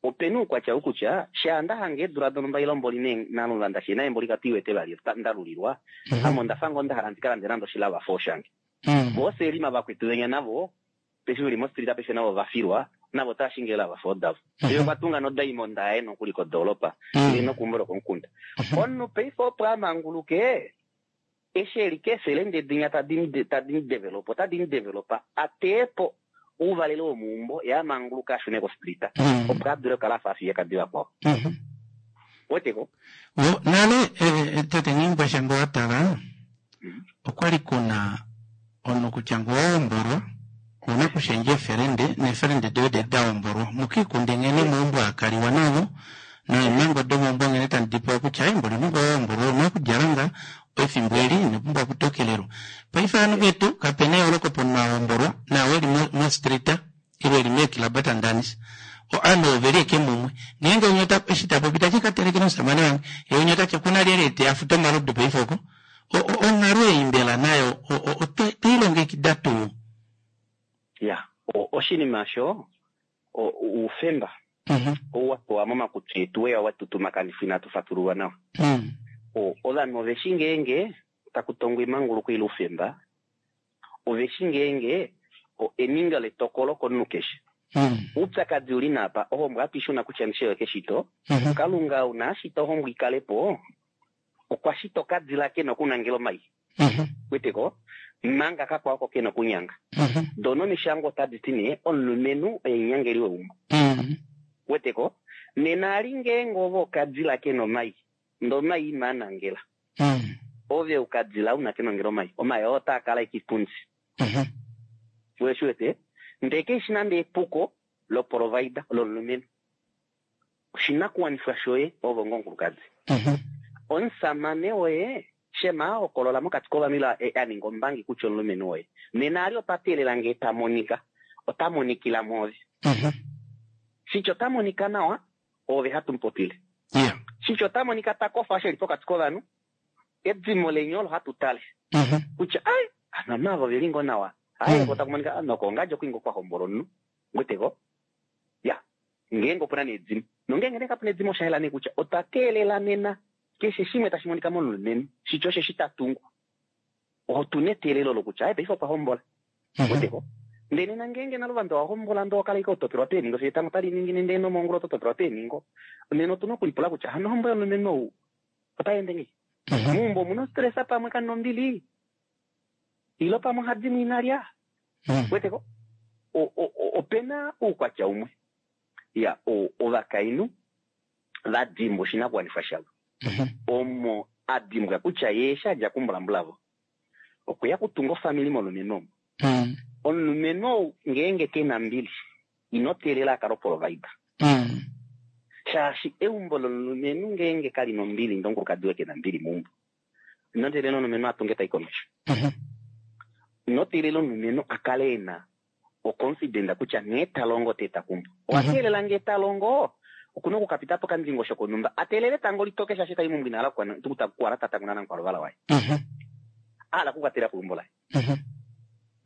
Opena oukwatya ou kutya shaa ndahanga eedula donhumba ile mboli nee naluvanda shi naye mboli katuiwete vali ndalulilwa Mhm. ame ondafa ngoo ndahala ndika lande nande oshilava shange. Mm. Vo oselima vakwetu venya navo paife veli mostrita paife navo vafilwa navo otava shingi eelava davo. Ye okwa tunga nodiamond yaye nokuli kodoolopa Mm. ile nokeumbo lokomukunda. Mhm. Omunhu paife opo amanguluke eshi eli keefelende dinya tadi tadi mudevelopa otadi mudevelopa ateepo ouvalelo womeumbo ye amanguluka ashune kostrita Mm. opo adule okukala afa afiyekadi vakwao. Mhm. Weteko? Wo, nale eh, tate Nghiimbwasha ngee owatala okwali kuna omunhu kutya ngee owahombolwa ouna okushendja eefelende neefelende doye de dahombolwa mukiikunde nghene meumbo hakaliwa navo neemhango domeumbo nghene tadi dipewa kutya ai mboli omunhu ngee owahombolwa ouna okudjala nga efimbo eli inopumbwa okutokelelwa. Paife ovanhu vetu kapena eyooloko pomunhu ahombolwa naau eli mostrita ile eli meekilaba tandanisa. Ovanhu oveli ashike mumwe ngeenge umwe eshi tapopi tati katelekele omushamane wange yee umwe otati okuna lyelye teya futa omalodu paife oko. Onghalo ei mbela nayo otweilongekida tuu? Ya oshinima osho oufemba Mhm. ou wapewa momakutsi etu weya watutumakanifwa inatu fatululwa nawa. Mm. Ovanhu oveshi ngeenge taku tongwa emanguluko ile oufemba oveshi ngeenge eningo letokolo komunhu keshe. Mm. Oupyakadi uli naapa ohombo ohatu ishuna kutya ndishe keshito Mhm. Kalunga una ashita ohombo ikalepo okwa shita okadila kena okunangela omai Mhm. weteko manga kakwao oko kena okunyanga. Mhm. Dono omishangwa otadi ti nee omulumenhu oye omunyangeli weumbo. Mm. Weteko nena ali ngeenge ove okadila kena omai ndee omai inaa nangela Mm. ove okadila una kenongela omai omai oo otaa kala ashike ipundi. Mhm. Weshi wete ndee keishi nande epuko loprovida lomulumenhu oshinakuwanifwa shoye ove onga omukulukadi. Mhm. Omusamane woye shema ahokolola mokati kovanhu ile aninga ombangi kutya omulumenhu woye nena ali otwa teelela ngee tamonika ota monikila mwoove. Mhm. Shitya ota monika nawa ove hatu mupopile. Yeah. Shitya ota monika takofa eshi eli pokati kovanhu edimo leni olo hatu tale Mhm. kutya ai ovanhu ava oveli ngoo nawa ai Mm. otaku monika nokongadja okwinga okwahombola omunhu weteko ya ngeenge opuna nee edimo nongeenge nee kapuna edimo oshayela nee kutya otwa teelela nena keshe shimwe tashi monika momulumenhu shitya osheshi tatungu otuna eteelelo lokutya ai paife okwa hombola Mhm. weteko ndee nena ngeenge nalo ovanhu owahombola ndee owakala ashike hotopelwa peeningo fiyo etango tali ningine ndee nomongula oto topelwa peeningo nena otuna okulipula kutya hano ohombo yomulumenhu ou otayeende ngei Mhm. meumbo omuna stress pamwe kamuna ombili ile pamwe ohadimo inalya Mm. weteko opena oukwatya umwe ya ovakainhu vadimbwa oshinakuwanifwa shavo Mhm. omo adimbwa kutya ye eshi adja kumbulambulavo okweya okutunga ofamili molumenhu omo. Mm. Omulumenhu ou ngeenge kena mbili ino teelela akale oprovida. Mm. Shaashi eumbo lomulumenhu ngeenge kali nombili ndee omukulukadi waye ke na ombili meumbo. Ino teelela omulumenhu a tunge tai komesho. Mhm. Ino teelela omulumenhu a kale e na oconfident kutya nghee ta longo te ta kumbu. Owa teelela ngee ta longo okuna okukapita pokandingosho konhumba a teelele etango litoke shaashi tai meumbo ina hala okukwala ta tanguna namukwalovala waye. Mhm. A hala okukwatela keumbo laye. Mhm.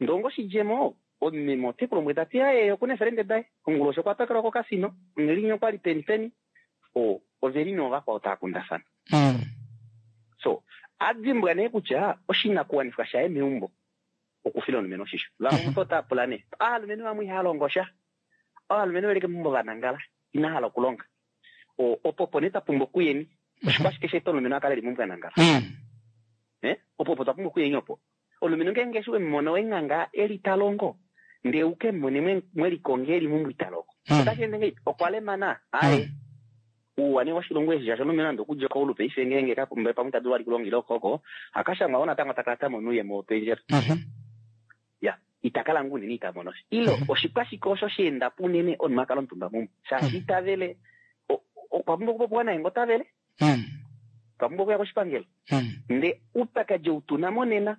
Ndee onga oshidjemo omumeme ote ku lombwele tati aye okuna eefelende daye onguloshi okwa tokelwa kokasino onghelinya okwali peni peni o oveli nee ovakwao tava kundafana. Mm. So adimbwa nee kutya oshinakuwanifwa shaye meumbo okufila omulumenhu oshisho. Vamwe mutu otava pula nee ovalumenhu vamwe ihava longo sha, ovalumenhu veli keumbo vanangala ina hala okulonga. O opo opo nee twapumbwa okuyeni oshikwashike sheeta omulumenhu akale eli meumbo anangala. Mm. Eh? Opo opo twapumbwa okuyeni opo. Omulumenhu ngeenge eshi wemumona wenganga eli talongo ndee uke mumone mwelikonge eli meumbo ita longo. Mm. Otashi ende ngahelipi? Okwa lemana aye ouwa woshilongo eshi shaashi omulumenhu nande okudja koulu paife ngeenge kapumba pamwe ita dulu vali kulonga ile okoko akashangwa wo natango takala tamono ouyemo wopendjela. Mhm. Ya ita kala ngoo unene ita mono sha. Ile oshikwashike osho sheendapo unene omunhu akala omutumba meumbo shaashi itavele okwa pumbwa okupopiwa naye ngoo tavele Mm. okwa pumbwa okuya koshipangelo. Mm. Ndee oupyakadi ou tuna monena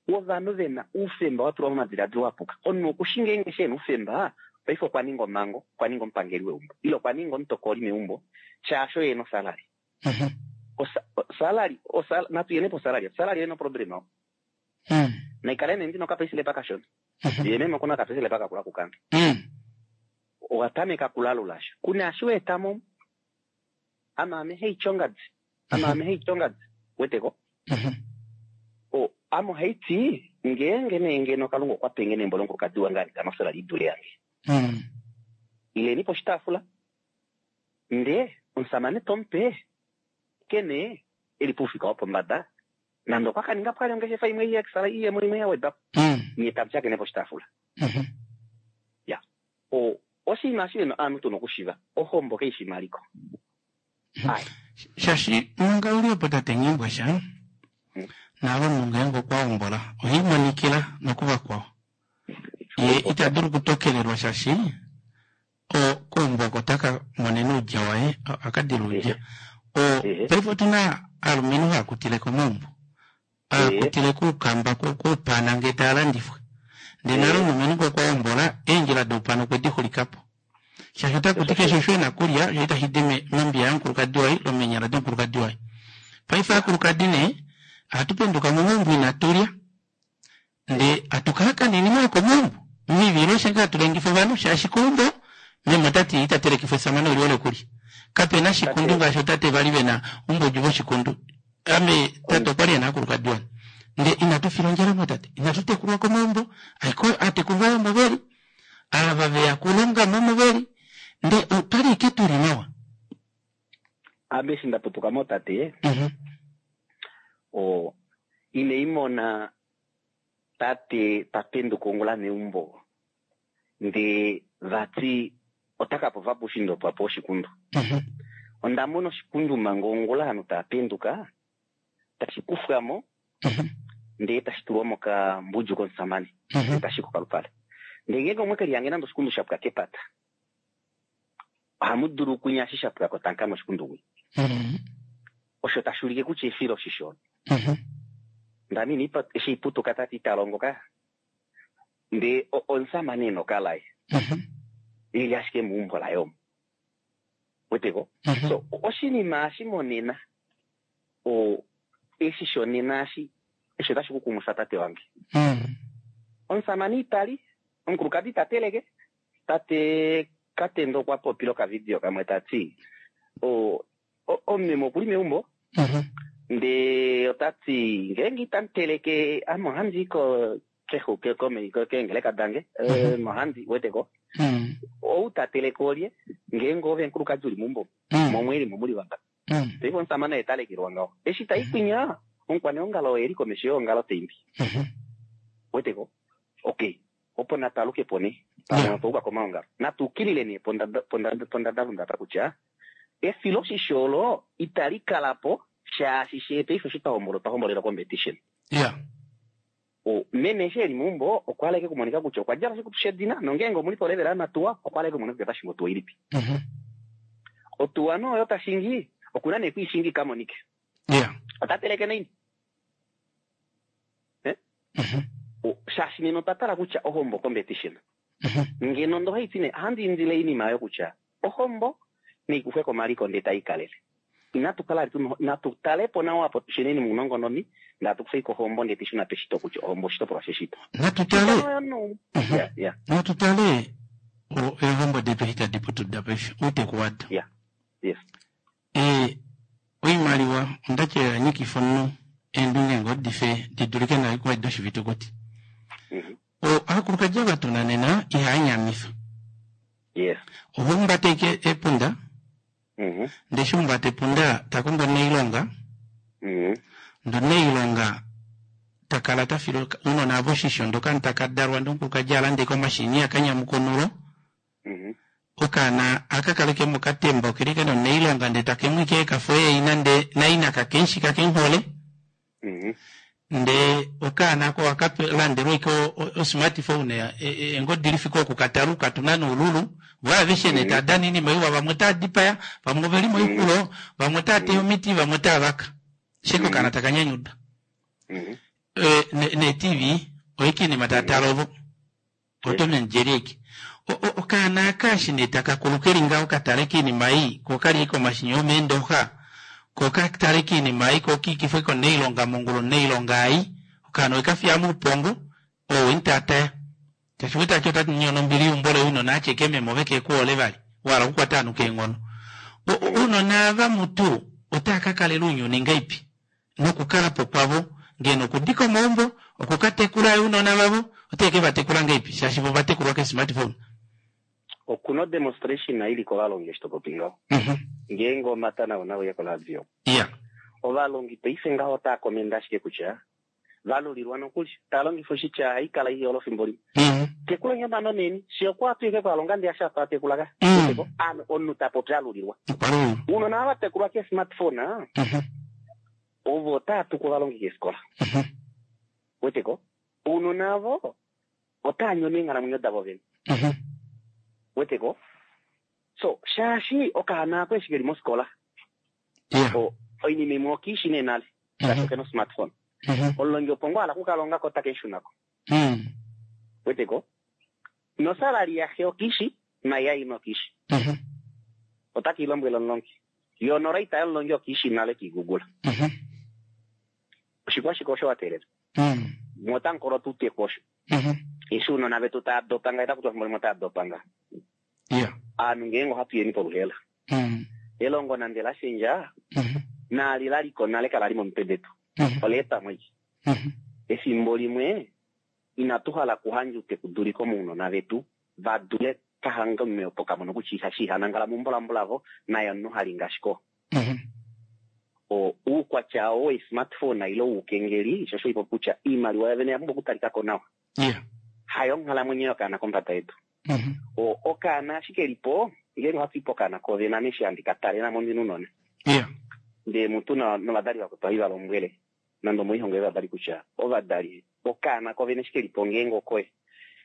wovanhu vena oufemba wa tulwa momadiladilo apuka. Omunhu okushi ngeenge shi ena oufemba paife okwa ninga omhango, okwa ninga omupangeli weumbo ile okwa ninga omutokoli meumbo shaashi oye ena osalary. Mhm. Osalary, natu yene posalary, osalary oyena oproblema oo. Mm. Naikale nee ndina okapayslip kashona. Mhm. Ye meme okuna okapayslip kakula kukange. Mm. Owa tameka kulalula sha. Kuna eshi wa etamo ame ame heityongadzi. Ame ame heityongadzi. Weteko? Mhm. O ame ohaiti ngeenge nee ngeno Kalunga okwa penge neembo lomukulukadi wange alikana osalary idule yange. Mm. Ileni poshitaafula ndee omusamane tomupe kene eli poufika wopombada nande okwa kaninga po ongeshefa imwe iye iyemo imwe ya wedwapo Mm. nye tamu shakene poshitaafula. Mhm. Ya o oshinima eshi ovanhu tuna okushiva ohombo kaifi maliko. Ai. Shaashi manga uli opo tate Nghimbwasha Mm. naave omunhu ngeenge okwa hombola ohaimonikila nokuvakwao. Ye ita dulu okutokelelwa shaashi keumbo oko taka monene oudja waye akadila oudja. O paife otuna ovalumenhu haakutile komaumbo haakutile koukamba koupana ngee taalandifwa ndee nale omulumenhu ngee okwa hombola eendjila doupana okwe dixulikapo shaashi otakuti keshe osho ena okulya osho itashi di mombiya yomukulukadi waye ile meenyala domukulukadi waye. Paife ovakulukadi nee ohatu penduka momaumbo inatulya ndee hatukala kanini nawa komaumbo mivilo osho ngoo hatu lengifa ovanhu shaashi keumbo meme otati ita telekifwa esamane olihole okulya kapena shikundu ngaashi ootate vali vena oumbodi voshikundu. Ame tate okwali ena ovakulukadi vane ndee inatu fila ondjala mootate inatu tekulwa komaumbo aatekulu vaye omo veli ava veya okulongamo omo veli ndee otwali ashike tuli nawa. Ame eshi ndaputuka mootate Mhm. o ine imona tate tapenduka ongula meumbo ndee vati otaka pova puushiinda opo apewa oshikundu. Mhm. Onda mona oshikundu manga ongula ovanhu tava penduka tashi kufwamo Mhm. ndee tashi tulwa mokambudju komusamane Mhm. ndee tashi kokalupale. Ndee ngeenge omweke lihange nande oshikundu shapwa kepata ohamu dulu okunya eshi shapwako tankama oshikundu kwinya. Mhm. Osho tashi ulike kutya efilo oshisho olo. Mhm. Ndame ina eshi iputuka tati ita longo ka ndee omusamane ena okalaye Mhm. eli ashike meumbo laye omo. Weteko? Mhm. So oshinima eshi monena o eshi shonena eshi eshi otashi kukumwifa tate wange. Mm. Omusamane itali, omukulukadi ita teleke, tate Katendo okwa popile okavidio kamwe tati o omumeme okuli meumbo Mhm. ndee otati ngeenge itamu teleke ame ohandi i kexuke keengeleka dange Mhm. ohandi weteko Mm. ou ta teleke olye ngeenge ove omukulukadi uli meumbo Mm. momwelimo muli vangapa. Mm. Paife omusamane oye talekelwa ngaho eshi tai kwinya omukwaneongalo oye eli komesho yeongalo taimbi. Mhm. Weteko? Okay opo natalukepo nee Yeah. pamwe komaongalo natu ukilile nee pondadalunde apa kutya efiloshisho olo itali kalapo shaashi shee paife eshi twahombola otwa hombolela competition. Yeah. O Meme eshi eli meumbo okwa hala kumonika kutya okwa djala oshikutu shedina nongeenge omuli polevela yamatuwa okwa hala kumonika kutya otashingi otuwa ilipi. Mhm. Otuwa no oyo tashingi okuna nee kwiishingi kamonike. Yeah. Ota teleke naini? Eh? Mhm. O- Shaashi nena otwa tala kutya ohombo competition. Mhm. Ngeno ndo haiti nee ohandi indile iinima oyo kutya ohombo neikufwe komaliko ndee tayi kalele. Inatu kala tu natu talepo nawa apo tusheneni muunongononi ndatu kufe kohombo ndee tishuna peshito kutya ohombo oshitopolwa sheshito. Natu tale Oyo no. Mhm. Yeah, yeah, natu tale o- eehombo detu eshi tadi putuda paife outeku wado. yeah. Yes. Eh, oimaliwa ondati oya nyikifa omunhu eendunge ngoo dife di dulike nayo kuwa doshifitukuti. Mhm. O- Aakulukadi ava tuna nena ihaya nyamifa. Yes. Oha humbata ike epunda Mhm. ndee eshi humbata epunda takongo omunailonga Mhm. ndee omunailonga takala tafile ounona avo oshisho ndee okaana taka dalwa ndee omukulukadi alande ike omashini akanyamuka onulo Mhm. okaana akakaleke mokatemba okeli kena omunailonga ndee takemwike ekafo yeina ndee naina kakemushi kakemuhole Mhm. ndee okaana ako akalandelwa ike o- o- osmartphone e- e- engodi lifike okukatala ukatuna noululu vo aveshe nee taadana oinima iwa vamwe otaa dipaya vamwe oveli moixulo vamwe otaa teya omiti vamwe otaa vaka sheke okaana taka nyanyuda Mhm. Eh, ne- ne T V oike iinima taatala ovo oTom and Jerry eke O- o- okaana aka eshi nee takakulu keli ngaho katale kiinima ei ko kali ike omashinya omeendoxa ko katale kiinima ei ko kiikifwe konailonga mongula omunailonga ai okaana oikafiya muupongo oo weni taataya tashi wete ati otati nyono ombili yeumbo loye ounona atyeke meme ove kekuhole vali wahala okukwata ovanhu keenghono O- o- ounona ava mutu otaa kakalela ounyuni ngaipi nokukalapo kwavo ngeno okudika omaumbo okukatekula ounona vavo oteke vatekula ngaipi shaashi vo vatekulwa ke smartphone. Okuna demonstration ili kovalongi eshi topopi ngaho. Mhm. Ngeenge omata nao nauye koradio. Yeah. Ovalongi paife ngaho otaa komenda ashike kutya valulilwa nokuli taa longifa oshitya haikala ihole efimbo limwe. Mhm. Tekula nyamano neni si okwa twike kwalonga ndi asha tekula ka. Mm. Ano omunhu ta popi alulilwa. Okwalulilwa. Uunona ava tekulwa ke smartphone ah, Mhm. ovo otaa tuku ovalongi keefikola. Mhm. Weteko? Uunona avo otaa nyono eenghalamwenyo davo vene. Mhm. Weteko? So shaashi okaana ako eshi keli mosikola Yeah. o- oinima imwe okiishi nee nale shaashi Mhm. okena osmartphone. Mhm. Omulongi opo ngoo ala kukalongako otake shunako. Mm. Weteko? Nosalali yaxe okiishi nayaina okiishi. Mhm. Otaki lombwele omulongi. Yo noraita yomulongi okiishi nale kiigugula. Mhm. Oshikwashike osho wa teelela. Mm. Mwotankolo tutekwa osho. Mhm. Eshi uunona vetu taa dopanga ita kutya efimbo limwe otaa dopanga. Yeah. Aanhu ngeenge ohatu yeni poluhela. Mm. Elongo nande la shendja Mhm. naali la liko nale kala li momitwe detu. Mhm. Ola etamo iki. Mhm. Efimbo limwe inatu hala kuhandja utekuduliko mounona vetu va dule kahanga omumeopo kamono kutya ihashi ihanangala mumbulambu lavo naye omunhu hali ngashiko. Mhm. O uukwatya oo we-smartphone ile woukengeli sho osho ipo kutya iimaliwa yovene oya pumbwa okutalikako nawa. Yeah. Hayo onghalamwenyo yokaana kombada yedu. Mhm. O okaana ashike lipo ngeenge ohatu ipo okaana kovena meshi handi ka tale namo ndina unona. Yeah. Ndee mutu na- novadali vakwetu ohai va lombwele nande omoihongo yovadali kutya ovadali okaana kovene ashike lipo ngeenge okoye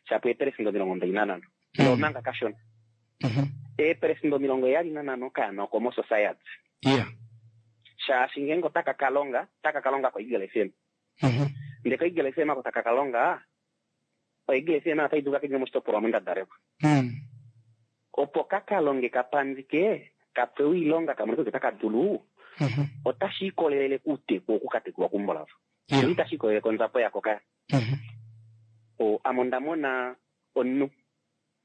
shapo eepelesenda omilongo mbali nanhano ndee Mm. omanga kashona Mhm. eepelesenda omilongo heyali nanhano okaana oko mosociety Yeah. shaashi ngeenge otaka kalonga otaka kalonga koEagle F M Mhm. ndee koEagle F M ako taka kalonga oEagle F M otai dulu kakendje moshitopolwa omo nda dalelwa Mm. opo kakalonge kapandike kapewe oilonga kamone kutya otaka dulu Mhm. otashi ikolelele kuuteku okukatekulwa kumbolavo Yeah. itashi ikolelele konzapo yako kaya Mhm. o ame onda mona omunhu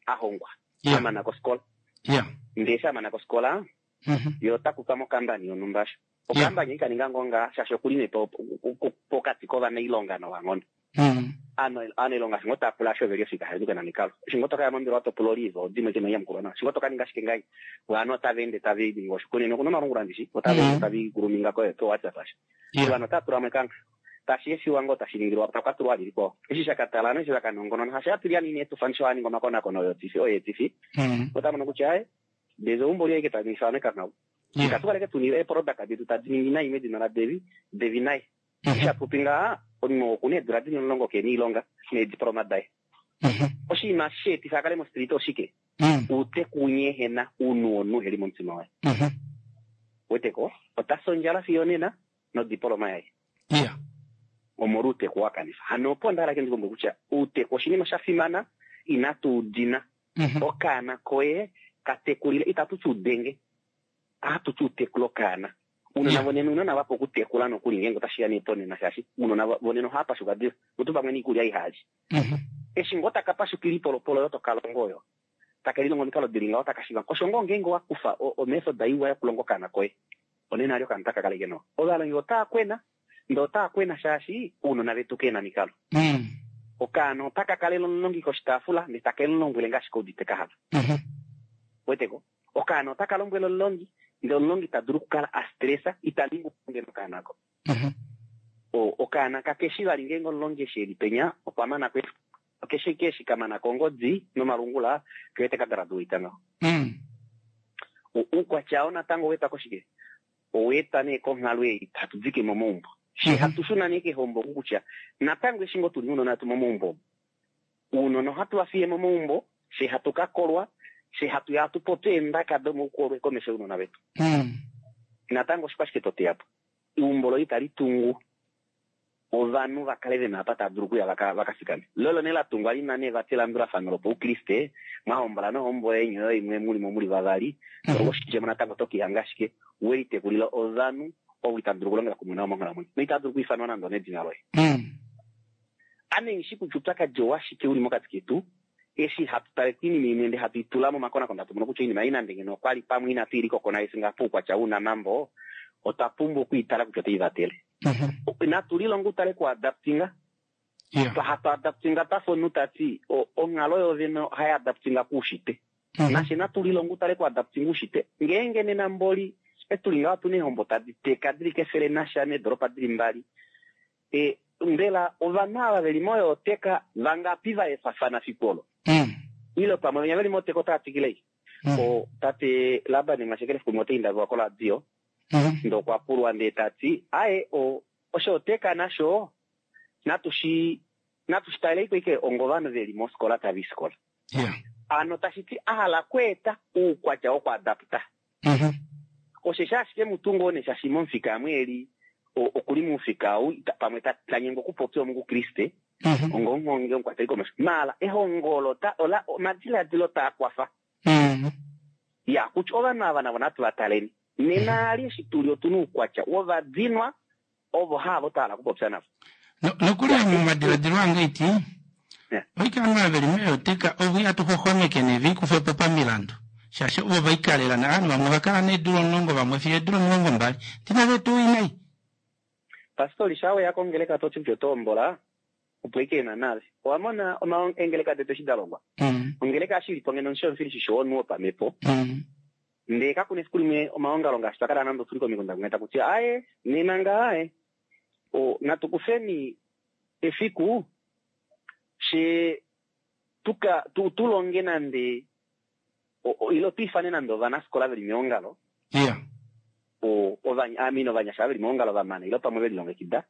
a hongwa Yeah. a mana kosikola Yeah. ndee eshi a mana kosikola Mhm. ye ota kutwa mokambani yonhumba asho okambani ikaninga ngoo ngaa shaashi okuli nee po- po- po- pokati kovanailonga novanghono Mm. aanailonga shingo taapula asho oveli ofika haduke namikalo shingo tokaya mombelewa topula olive odimwe kena nyamukulwa nawa shingo tokaninga ashike ngai vanhu otava ende tava ningi oshikunino kuna omalungula ndishi otava ende Mm. tava guluminga ko ko WhatsApp asho Yeah. vanhu otava tula mwekanga tashi efiwa ngoo tashi ningilwa takwatulwa lilikwawo eshi shakatala neshi shakanongonona hashi atulya nini etufanisho aninga omakonakono oyotifi oyeetifi Mm. otamono kutya aye ndeze umbo lyaike taningifa nekangau Yeah. ikatukaleke tunile eproduct detu tadi ningi nai medina la Devi Devi nai Mhm. shapupi ngaa Omunhu okuna eedula dili omulongo kena oilonga neediploma daye. Mhm. Oshinima sheetifa a kale mostrita oshike? Mm. Uuteku unyehena ounhu wonhu heli momutima waye. Mhm. Weteko ota sondjala fiyo nena nodiploma yaye. Yeah. Omolwa uuteku wa kanifa. Hano opo nda hala ke ndikumbwe kutya uuteku oshinima sha fimana inatu udina. Mhm. Okaana koye katekulile itatu ti udenge ohatu ti utekula okaana. Uunona Yeah. vonena uunona vapo okutekula nokuli ngeenge otashiya nee ponena shaashi uunona vonena ohava pashuka diva mutu pamwe niikulya ihali. Mhm. Eshi ngoo taka pashukila ipolopolo oyo toka longo oyo taka lilongo omikalo dili ngaho taka shiiva osho ngoo ngeenge wa kufa omethod iwa yokulonga okaana koye onena ali okaana taka kaleke nawa. Ovalongi otaa kwena ndee otaa kwena shaashi ounona vetu kena mikalo. Mm. Okaana otaka kalele omulongi koshitaafula ndee take mulombwele ngaashi keudite kahala. Mhm. Weteko okaana otaka lombwele omulongi ndee omulongi ta dulu okukala a stressa ita ningi ngeno okaana ako. Mhm. O- okaana kakeshi vali ngeenge omulongi eshi eli penya okwa mana ko keshe keshi kamana kongodi nomalungula kewete ka graduate ngaho. Mm. U- Uukwatya oo natango oweetwa koshike? Oweetwa nee konghalo ei hatu dike momaumbo. She Mhm. hatu shuna nee kehombo oku kutya natango eshi ngoo tuli nounona vetu momaumbo omu, uunona ohatu va fiye momaumbo she hatu ka kolwa she hatu ya hatu popi eendaka domoukolwe komesho younona vetu. Mm. Natango oshikwashike to teya po? Eumbo loye itali tungu ovanhu va kale vena apa tava dulu okuya vaka vaka fikame. Lolo nee la tungwa lina nee vati elandulafano lopaukriste mwahombola nohombo yeni oyo imwe muli mo muli vavali Mhm. oshidjemo natango tokihanga ashike welitekulila ovanhu ovo itava dulu okulongela kumwe navo monghalamwenyo noitava dulu okwiifanwa nande onedina loye. Mm. Ame nghishi kutya oupyakadi owashike uli mokati ketu eshi hatu tale koinima imwe ndee hatu itula momakonakono hatu mono kutya oinima ei nande ngeno okwali pamwe inatu ilikokona ngaha poukwatya wounamambo otwa pumbwa okwiitala kutya otai vatele. Mhm. Natu lilonge utale kuadaptinga Yeah. hatu adaptinga twafa omunhu tati o- onghalo yovene ohai adaptinga kuushitwe. Mhm. Nashe natu lilonge utale kuadaptinga uushitwe ngeenge nena mboli etuli ngaho otuna eehombo tadi teka dili kefele nasha needoropa dili mbali e, mbela ovanhu ava veli moyooteka vangapi va efafana fiku olo Mm. ile pamwe venya veli moteka otava twikile Mm. o tate Laban Mwashekele fiku limwe otaindaviwa koradio Mhm. ndee okwa pulwa ndee tati aye o oshooteka nasho natu shi natu shi taleleiko ike ongovanhu veli mofikola tava i fikola. Yeah. Ano tashi ti a hala okweeta uukwatya wokuadapta. Mhm. Osheshi ashike mutu ngoo nee shaashi momufika amwe eli okuli momufika ou pamwe tanyengwa okupopya omukriste Mhm. ongomuhongi omukwateli komesho maala ehongo olo ta- ola omadiladilo taa kwafa. Mhm. Ya kutya ovanhu ava navo natu va taleni. Nena ali eshi tuli otuna oukwatya wovadinwa ovo haavo twa hala okupopya navo. No- nokuli momadiladilo ange iti Yeah. oike ovanhu ava veli meeyoteka ovo ihatu xoxomeke nee viikufe po pamilandu shaashi ovo vaikalela navanhu vamwe vakala needula omulongo vamwe fiyo eedula omilongo mbali tinave tuu inai. Pastori sha weya kongeleka toti kutya oto hombola opo ike ena nale. Owa mona oma eengeleka detu eshi da longwa. Mm. Ongeleka eshi ilipo ngeno omushomufili wonhu wopamhepo Mm. ndee kakuna efiku limwe omaongalo ngaashi twakala nande otuli komikunda kumwe taku tiwa aye nena nga aye o natu kufeni efiku she tuka tu, tulonge nande o, o, ile twiifane nande ovanafikola veli meongalo Yeah. o, ovanya, I mean, ovanyasha veli meongalo vamana ile pamwe velilongekida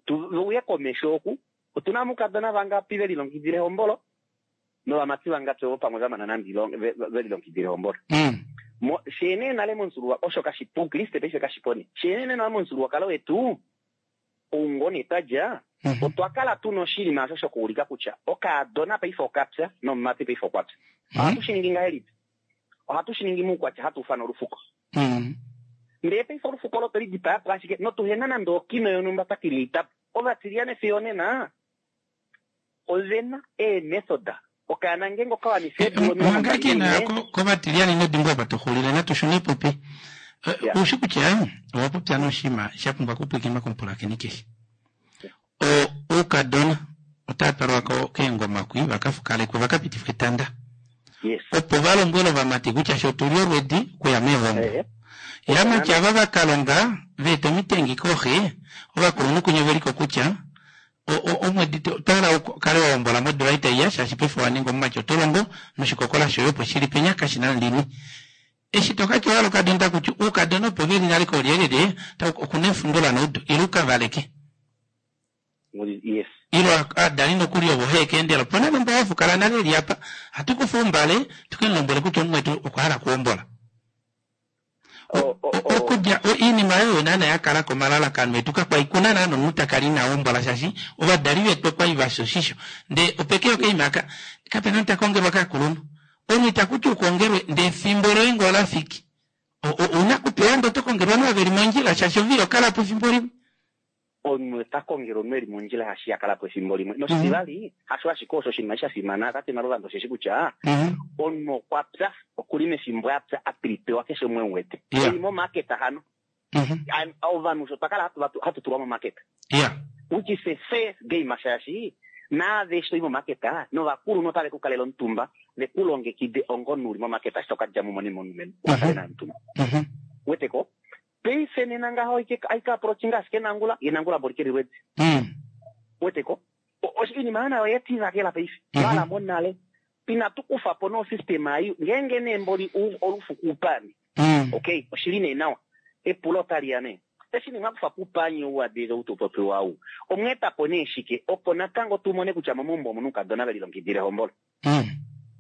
tu uye komesho oku otuna mukadona vangapi velilongekidile ehombolo novamati vangapi ovo pamwe vamana nande ilonge- ve- ve- velilongekidile ehombolo. Mm. Mo shene nale momufyuululwa osho kashipu oukriste paife kashipo nee. Shene nale momufyuululwakalo wetu oungoo nee twadja Mhm. otwa kala tuna oshinima osho shokuulika kutya okaadona paife okapya nomumati paife okwapya. Mhm. Ohatu shi ningi ngahelipi? Ohatu shi ningi muukwatya hatu ufana olufuko. Mm. Ndee paife olufuko olo tweli dipaya po ashike notuhena nande okino yonhumba twa kililita po. Ovatiliyane fiyo onena ovena eemethod. Okaana ngeenge okawanifa eedula omilongo manga mbali kena naimwe kovatiliyane inodimbwa apa tuxulile natu shune popi. Yeah. Oushi kutya owa popya noshinima sha pumbwa okupwikinwa komupulakeni keshe. O- Oukadona otava twalwa ko- keengoma kwi vakafukalekwe vakapitifwe etanda Yes. opo valombwele ovamati kutya sho tuli olwedi okuya meehombo. Eh, Yamati ava vakalonga veeta omitengi koxe ovakulunhu kunye veliko kutya o- o- omwedi to- twala ukale wa hombola modula itaiya shaashi paife wa ninga omumati oto longo noshikokola shoye opo shili penya kashina lini. Eshi tokati wala okadona takuti oukadona opo veli nale kolyelele okuna efundula noudu ile ukavaleke. Yes. Ilo aadali nokuli ovo heekeendela opona nomba yafukala nale eli apa hatu kufa ombale tukemulombwele kutya omumwetu okwa hala kuhombola. Okudja iinima oyo naana yakala komalalakano etu kakwai kuna naana omunhu takala ina hombola shaashi ovadali vetu okwali vafya oshisho ndee opeke okaima aka kapena omunhu takongelwa kakulunhu omunhu itakuti ukongelwe ndee efimbo loye ngee olafiki ouna kupewa ndee oto kongelwa ovanhu ava veli mondjila shaashi ove ihokalapo efimbo limwe. Omunhu ota kongelwa omunhu eli mondjila shaashi iha kalapo efimbo limwe. Noshitivali, hasho ashike osho oshinima eshi sha fimana tate Maluvanda osheshi kutya omunhu okwa pya, okuli mefimbo a pya a pilipewa keshe umwe emuwete. Eli momarket hano. Ovanhu osho twa kala hatu tulwa momarket. Which is a fair game shaashi naave eshi toi momarket novakulunhu otave ku kalele omutumba ve ku longekide onga omunhu uli momarket eshi to ka dja mo mone momulumenhu uka kale naye omutumba. Weteko? Paife nena ngaho aika approachinga ashike nangula ye nangula mboli keli lwedi. Weteko? Oinima oyo nayo oye tivakela paife. Twala mo nale. Inatu kufa po no system ai ngeenge nee mboli olufuku upani. Okay, oshili nee nawa. Epulo otali ya nee. Eshi nee mwakufa po upani ou adile ou tupopiwa ou. Omweeta po nee shike opo natango tu mone kutya momaumbo omuna oukadona velilongekidila ehombolo.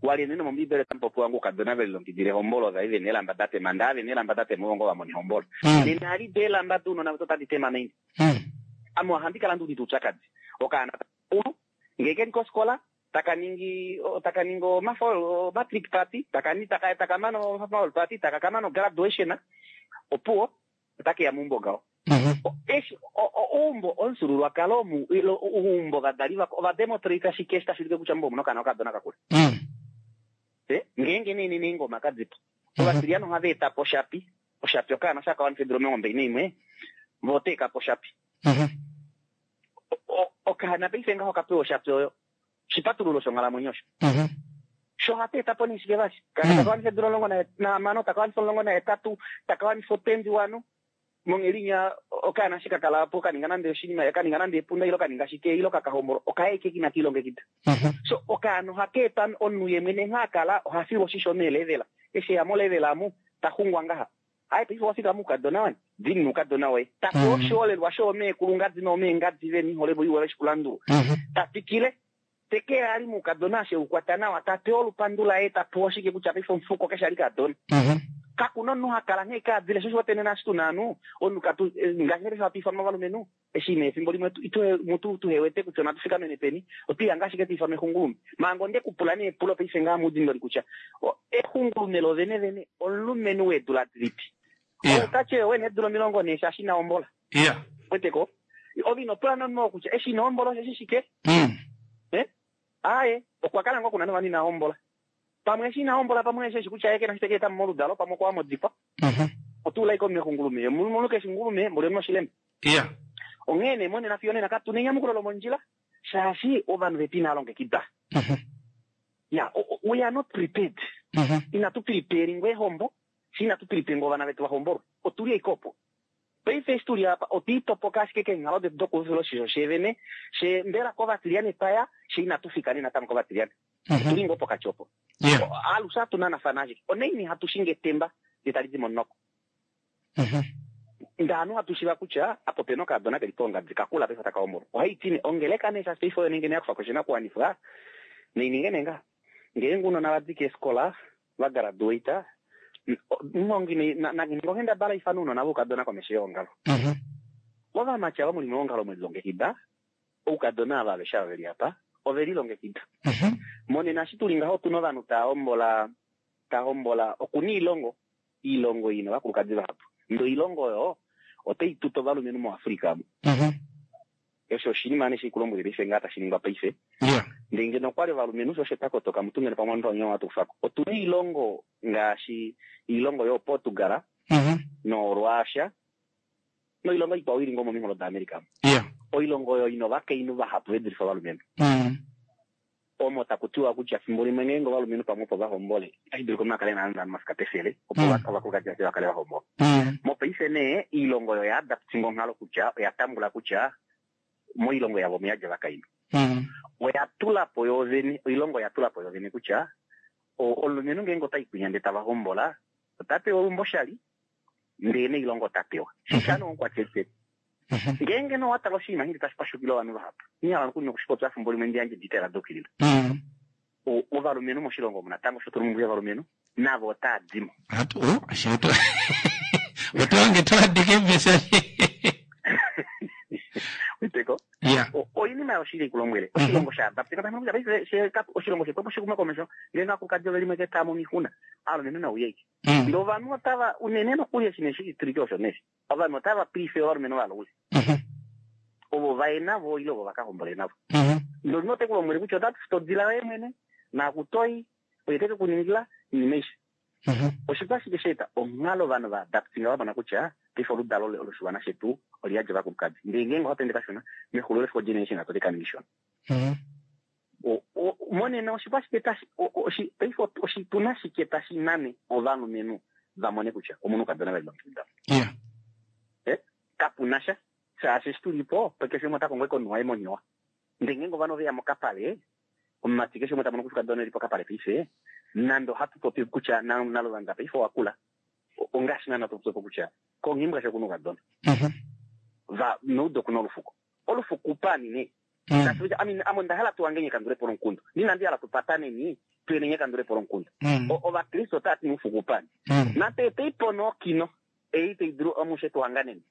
Wali nee nomombiibeli otamu popiwa ngoo oukadona velilongekidila ehombolo ova li vena eelamba da tema ndee ava vena eelamba da tema ovo ngoo va mona ehombolo. Nena ali do eelamba dounona vetu otadi tema naini. Ame ohandi kala ndi udite oupyakadi. Okaana takakulu ngee keli kofikola taka ningi taka ningi omafo matric party taka taka taka mana omafo party taka kamana graduation opuwo otakeya meumbo ngaho. Eshi oumbo omufyuululwakalo omu oumbo ovadali vako ova demonstrate shike eshi tashi ulike kutya meumbo omuna okaana okadona kakula. Ngeenge nee nena eengoma kadipo ovatiliyana ohava eta po oshapi oshapi okaana osha kawanifa eedula omilongo mbali naimwe vo oteka po oshapi. Okaana paife ngaho okapewa oshapi oyo oshipatululo shonghalamwenyo osho. Sho ohatu eta po nee shike vali? Okaana taka wanifa eedula omulongo nahamano, taka wanifa omulongo nahetatu, taka wanifa otwenty one monghelinya okaana eshi kakala po kaninga nande oshinima kaninga nande epunda ile kaninga shike ile kakahombolwa okaye ike inaka ilongekida. So okaana ohaka eta omunhu ye mwene nghee akala ohafilwa oshisho meelevel. Eshi eya molevel amu taxungwa ngaha. Aye paife owafika moukadona wani dini noukadona woye. Tapewa oshiholelwa shoomeekulu ngadi noomeengadi veni iholelwa iwa veshikulandulwa. Tatwikile teke ali moukadona ashe ukwata nawa tapewa olupandu laye tapewa oshike kutya paife omufuko keshe ali kadona. Kakuna omunhu hakala nghee kaadile sho osho nena eshi tuna ovanhu omunhu katu ngaashi eshi hatu ifanwa ovalumenhu eshi nee efimbo limwe mutu tuhewete kutya onatu fikamene peni otwiihanga ashike twiifanwa exungulume. Manga onde kupula nee epulo paife ngaha mudindoli kutya exungulume lovene vene omulumenhu weedula dilipi? Outati oye wena eedula omilongo nhee shaashi ina hombola. Weteko? Ove ino pula nomunhu oo kutya eshi ina hombola osheshi shike? Aaye, okwa kala ngoo kuna novanhu ina hombola. Pamwe eshi ina hombola pamwe eshi eshi kutya ye kena eshi teke etamo moludalo pamwe okwa wa modikwa. Otuula ashike omunhu exungulume. Omunhu keshe ngulume mboli omunhu oshilema. Onghee nee monena fiyo onena katuna enyamukulo lomondjila shaashi ovanhu vetu inava longekida. Ya, we are not prepared. Inatu prepare ehombo, shi inatu prepare ovana vetu vahombolwe. Otuli ashike opo. Paife eshi tuli apa otwiitopoka ashike keenghalo detu dokufila oshisho shevene she mbela kovatiliyane twaya she inatu fika nee natango kovatiliyane. Otuli ngoo pokati opo. Alushe hatu nanafana ashike. Onaini hatu shingi etemba ndee tali di momunoko. Ndee ovanhu hatu shiiva kutya apa opena okadona keli poongadi kakula paife taka hombolwa. Ohaiti nee ongeleka nee shaashi paife oyo nenge nee yakufako oshinakuwanifwa naininge nee ngaha. Ngeenge ounona vadi keefikola va graduate omuhongi naninge onghendabala ifane ounona voukadona komesho yeongalo. Ovamati ava muli meongalo mwelilongekida, oukadona ava aveshe ava veli apa ovelilongekida. Monena eshi tuli ngaho otuna ovanhu tava hombola ta hombola okuna oilongo oilongo ina ovakulukadi vahapu ndee oilongo oyo otai tuta ovalumenhu moAfrica omu. Osho oshinima nee shikulombwele paife ngaa tashi ningwa paife. Ndee ngeno okwali ovalumenhu sho osho twakotoka mutu ngeno pamwe omunhu watu kufako. Otuna oilongo ngaashi oilongo yooPortugal noRussia noilongo ikwao ili ngoo mominghulo daAmerica. Oilongo oyo ina ovakainhu vahapu ve dulife ovalumenhu. Omo taku tiwa kutya fimbo limwe ngeenge ovalumenhu pamwe opo vahombole otashi dulika omunhu akale ena ovanhu vafika pefele opo ovakulukadi vaye vakale vahombola. Mopaife nee oilongo oyo oya adaptinga onghalo kutya oya tambula kutya moilongo yavo omuyadja ovakainhu. Oya tula po yoovene, oilongo oya tula po yoovene kutya omulumenhu ngeenge otai kwinya ndee tava hombola ota pewa olumbo oshali ndee noilongo ota pewa. Shishano omukwateli. Ngeenge no watala oshinima hindi tashi pashukile ovanhu vahapu nihala nokuli nokushipopya efimbo limwe ndi yandje detail dokilila. Ovalumenhu moshilongo omu natango sho tuli mumbuya ovalumenhu navo otaa dimo. Atu shetu otowange toadike message. Witeko? Yeah. Oinima yoshili kulombwele oshilongo sha adapte oshilongo shetu opo shikume komesho ngeenge akulukadi ove limwe ketamo mihuna aalumenhu nauyeke. Ndele ovanhu otava unene nokuli eshi neshitulike osho neshi ovanhu otava prefer ovalumenhu valoule. Ovo vaye navo ile ovo vakahombole navo. Ndele omunhu ote ku lombwele kutya otatu futu odila yoye mwene naakutoi oye teke kuningila iinima aishe. Oshikwa shike sheeta onghalo ovanhu va adaptinga va mona kutya paife oludalo loshiwana shetu oliyadja ovakulukadi. Ndele ngeenge ohatu ende kashona mexulo lefiko generation atu tekaningi shona. Monena oshikwa shike tashi paife oshituna shike tashi nane ovalumenhu va mone kutya omunhu kadona vali longekida. Yeah. Eh, kapuna sha shaashi eshi tulipo keshe umwe ota kongo ekonwa yemonyowa. Ndele ngeenge ovanhu oveya mokapale omumati keshe umwe ta mono kutya kadona eli pokapale paife nando hatu popi kutya nalolanda paife owakula ongaashi naana to popi kutya kongimbwa sho kuna okadona. Va noudo kuna olufuko. Olufuko pani ne. Kasi I mean amo ndahala tuwangenye kandulepo lonkundu. Nina ndi hala tupataneni tuyenenye kandulepo lonkundu. Ovakristo otati nufuko pani. Nate teipono kino ei teidru omushe tuhanganeni.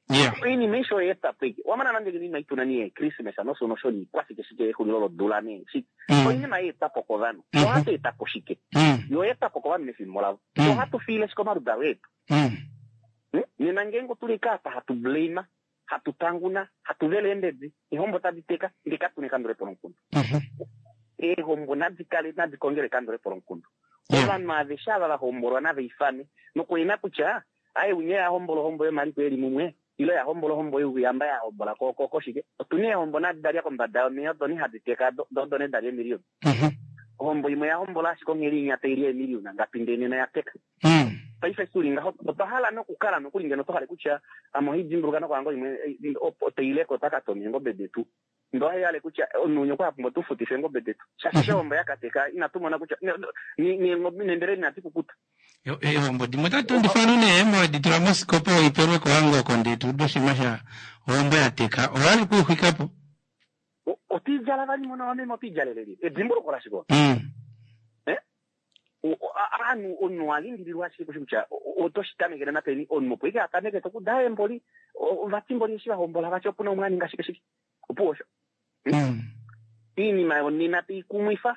Oinima isho yeeta peke. Wamana nande nina ituna ni Christmas noso nosho ni kwasike shike ehulilo lodula ne shike. Oinima yeeta po kovanhu. Ohatu eta po shike. Yo yeeta po kovanhu mefimbo lavo. Ohatu fiile shike omaludalo etu. Nena ngeenge otuli kaapa hatu blame, hatu tanguna, hatu vele eembedi, eehombo tadi teka, ndele katuna ekandulepo lomukundu. Eehombo nadi kale nadi kongele ekandulepo lomukundu. Ovanhu aveshe ava va hombolwa nava ifane nokuena kutya aye unye ya hombola ohombo yomaliko eli mumwe ile ya hombola ohombo youyamba ya hombola koshike. Otuna eehombo nadi dalya kombada yomeya odo ne hadi teka do ne dalya emiliyoni. Ohombo imwe ya hombola ashike ongheli inya taili emiliyoni ngapi ndee nena ya teka. Paife tuli ngaho otwa hala nokukala nokuli ngeno tohale kutya ame ohidimbuluka nokuhanga imwe teileko otaka eengobe detu. Ndo hayale kutya omunhu okwa pumbwa tufutife eengobe detu. Shaashi ohombo yakateka inatu mona kutya nembele inadi kukuta. Ehombo dimwe otatu ndifana neemo editula mosikopa oipelwe kohango konde tu doshima sha ohombo yateka owali kuuxwikapo. Otidjala vali mona wameme otidjaleleli edimbuluko lashiko. Ovanhu omunhu walimbililwa ashike kutya otoshitamekele napeni omunhu opo ike atameke tokuda emboli ovatimboli eshi vahombola vati opuna umwe aninga shike shike opuwo osho. Iinima yonena teikumwifa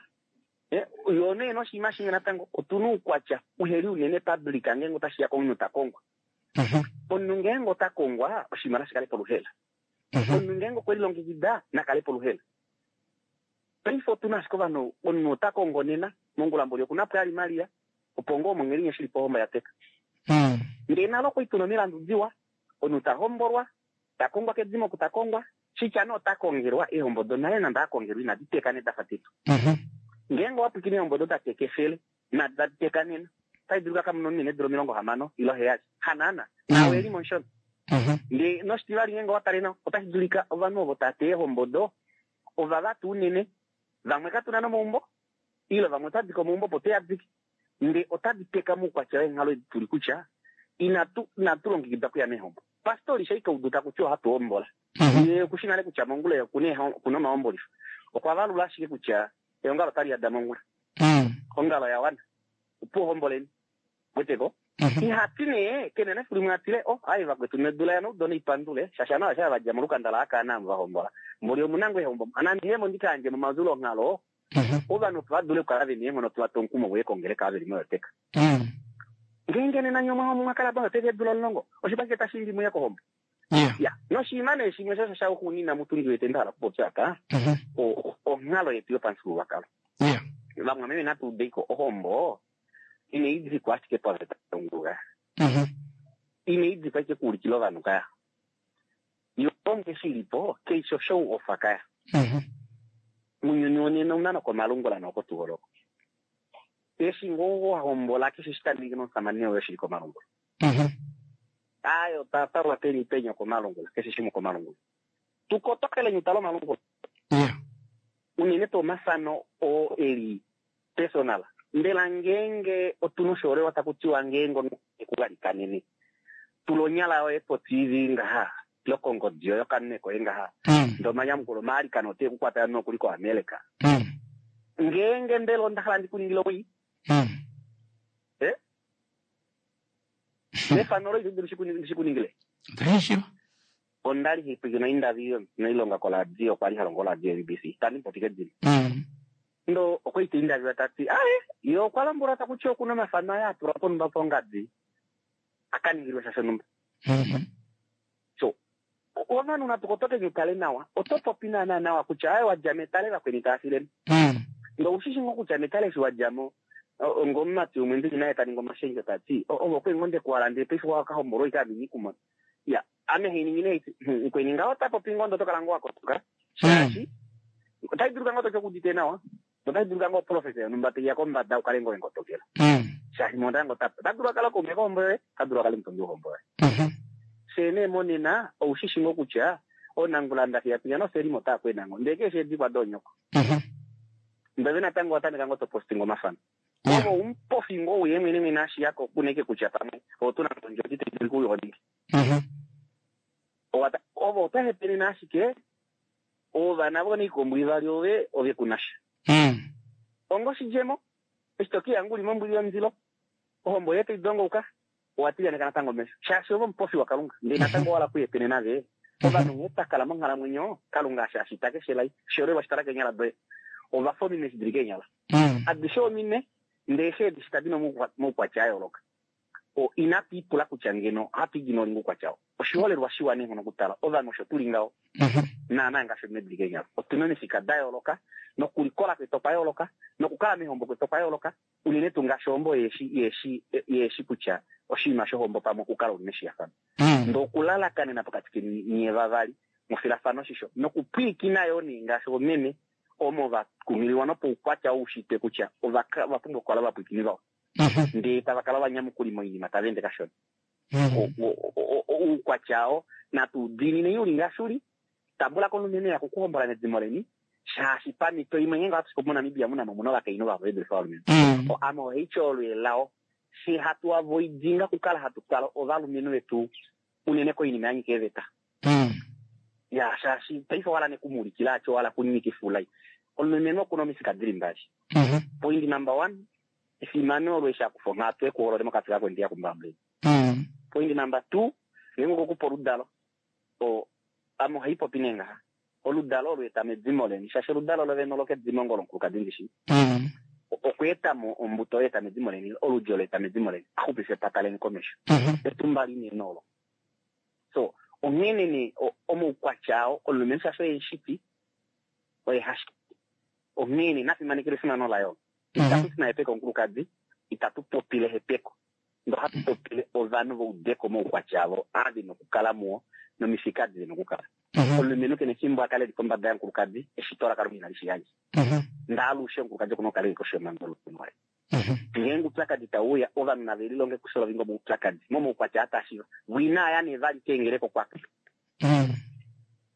yo nee noshinima shimwe natango otuna oukwatya uheli unene public ngeenge otashiya komunhu ta kongwa. Omunhu ngeenge ota kongwa oshinima nashi kale poluhela. Omunhu ngeenge okwe lilongekida nakale poluhela. Paife otuna ashike ovanhu omunhu ota kongo nena mongula mboli okuna pwali Maria opo ngoo mongelinye shili pohombo ya teka. Ndele nalo okwa ituna omilandu diwa omunhu ta hombolwa ta kongwa kedimo oku ta kongwa shitya nee ota kongelwa eehombo donale nande akongelwa inadi teka nedafa detu. Ngeenge owapwikine eehombo do dateka efele nadi tadi teka nena otai dulu kakamuna omunhu eedula omilongo hamano ile heyali hanaana nawe eli moshona. Ndele noshitivali ngeenge owatale nawa otashi dulika ovanhu ovo tava teya eehombo do ovava tuu unene vamwe katuna nomaumbo ile vamwe otadi komaumbo opo toyadike nde otadi teka moukwatya weenghalo edi tuli kutya inatu inatu longekidwa kuya meehombo. Pastori shaika uduta kutya ohatu hombola. Ye okushi nale kutya mongula okuna omahombolifo. Okwa valula ashike kutya eongalo otali yada mongula. Ongalo ya wana. Opo homboleni. Weteko? Ihati nee kene nefiku limwe atile o aye vakwetu nedula ya noudona ipandule shasha nawa sha vadja molukanda la akaana va hombola. Mboli omunango ehombo anandihemo ndikaandje momazulo onghalo ovanhu opo va dule okukala vena eenghono tuva omukumo voye kongeleka ave li moyoteka. Ngeenge nena nye omwa kala moyoteka eedula omulongo oshipashike tashi ndi muye kohombo. Ya noshinima nee shimwe shosho shauxuunina mutundi wete nda hala okupopya apa onghalo yetu yopamufyuululwakalo. Vamwe natu udeiko ohombo ine idikwa ashike paveta yonguga. Ine idikwa ashike kuulikila ovanhu kaya. Yo onge shilipo keisho show off kaya. Munyuni wonena una nokomalungula nokotugoloko. Eshi ngoo wahombola keshe shitaningi nomusamane woye shili komalungula. Ayo tata peni penya komalungula keshe shimwe komalungula. Tukotokele nyutalo malungula. Unene to mafano o eli personal. Mbela ngeenge otuna oshoolelwa taku tiwa ngeenge ekugalikanene tulonyala yoye po T V ngaha lokongodi yoyo kanune koye ngaha ndo omanyamukulo maalikano ote kukwata nokuli koAmerica ngeenge mbela onda hala ndikuningile owii eh nefano loye ndishikuningile ondali hipwikino indavi noilonga koladio kwali halongo oladio M B C tandi mpotike dini ndo okwaita indavi tati aye yo okwalambula takutya okuna omafano aye atulwa ponumba pongadi akaningilwe sha shonumba so ovanhu natukotoke nyutale nawa otopopi naana nawa kutya aye wadja metale vakweni taafileni ndo ushishi ngo kutya metale eshi wadjamo ngomumati umwe ndili naye taninga omashendjo tati ovo kwengonde kuwala paife wakahombolwa ikaamini kumona ya ame hiningine ikweni ngaho tapopi ngondo tokala ngo wakotoka shaashi otai duluka ngo tokekudite nawa otai duluka ngo profesa yonumba teiya kombada ukale ngo engotokela shaashi monda ngo tapa tadulu akala kaume kohombo yoye tadulu akale mutongi wohombo yoye shene monena oushishi ngo kutya onangula ndafiyapinya noselimo taakwenango ndeke eshe edikwa donyoko ndove natango watameka ngo topostinga omafano ovo umpofi ngo uye mwene mwene ashiyako kuneke kutya pamwe otuna ndjoti tedili kuyoningi ovo otahepenena ashike ovana voniikombo ivali ove ove kunasha ongo shidjemo eshi tokiya nguli mombwili yomundilo ohombo yetu idongouka owatiyaneka natango mesho shaashi ovo omupofi wakalunga ndee natango wala kuyepenena ve ovanhu nghee twakala monghalamwenyo kalunga asha ashita keshe lai shiolelwa shitala keenyala doye ovafa omine shidili keenyala adishe omine ndee she edishita dina moukwatya a yooloka o inatu ipula kutya ngeno ohatu idi nolinga oukwatya oshiholelwa shiwa neenghono okutala ovanhu osho tuli ngaho naana ngaashi omine dili keenyala otuna omifika da yooloka nokulikola kwetu okwa yooloka nokukala mehombo kwetu okwa yooloka unene tuu ngaashi ohombo yeeshi yeeshi yeeshi kutya oshinima shohombo pamwe okukala uli meshiyafano ndo okulalakanena pokati keni nye vavali mofilafano shisho nokupwiikina yo nee ngaashi omeme omo vakumiliwa nopoukwatya oushitwe kutya ovapumbwa okukala vapwiikini vao ndee tava kala vanyamukuli moinima tava ende kashona oukwatya oo natu diinine uli ngaashi uli tambula komulumenhu ya kukuhombola medimo leni shaashi pamito imwe ngenge ohatu sipo moNamibia muna mo muna ovakainhu vavo vedulifa ovalumenhu ame ohaityo olweelao she hatu avoidinga kukala hatu twala ovalumenhu vetu unene koinima yanyika eveta ya shaashi paife wala nekumuulikila atyo wala kunyikifulai omulumenhu okuna omifika dili mbali point number one efimano olo eshi akufa onghatu ekuholole mokati kako ndiya kumbambuleni point number two ngenge okokupa oludalo ame ohaipopi nee ngaha oludalo olweeta medimo leni shaashi oludalo lovene olokedimo ngolonkulukadi ndishi okweetamo ombuto yeeta medimo leni oludi olweeta medimo leni axupife epata leni komesho etumba linene olo so onghene ne omoukwatya ao omulumenhu shaashi oye shiti oye hashiti onghene nafimanekele efimano layo itatu sina hepeko onkulukadi itatu popile hepeko ndo hatu popile ovanhu voudeko moukwatya avo ave nokukala muwo nomifika dile nokukala omulumenhu kene efimbo akale li kombada yankulukadi eshito lakalunga inali shiyandja ndaalushe onkulukadi okuna okukala eli koshi yomhango yomulumenhu waye ngeenge upyakadi tauya ovanhu nave lilonge kusolovinga omoupyakadi momoukwatya atashiva winaaya nevali keengeleko kwake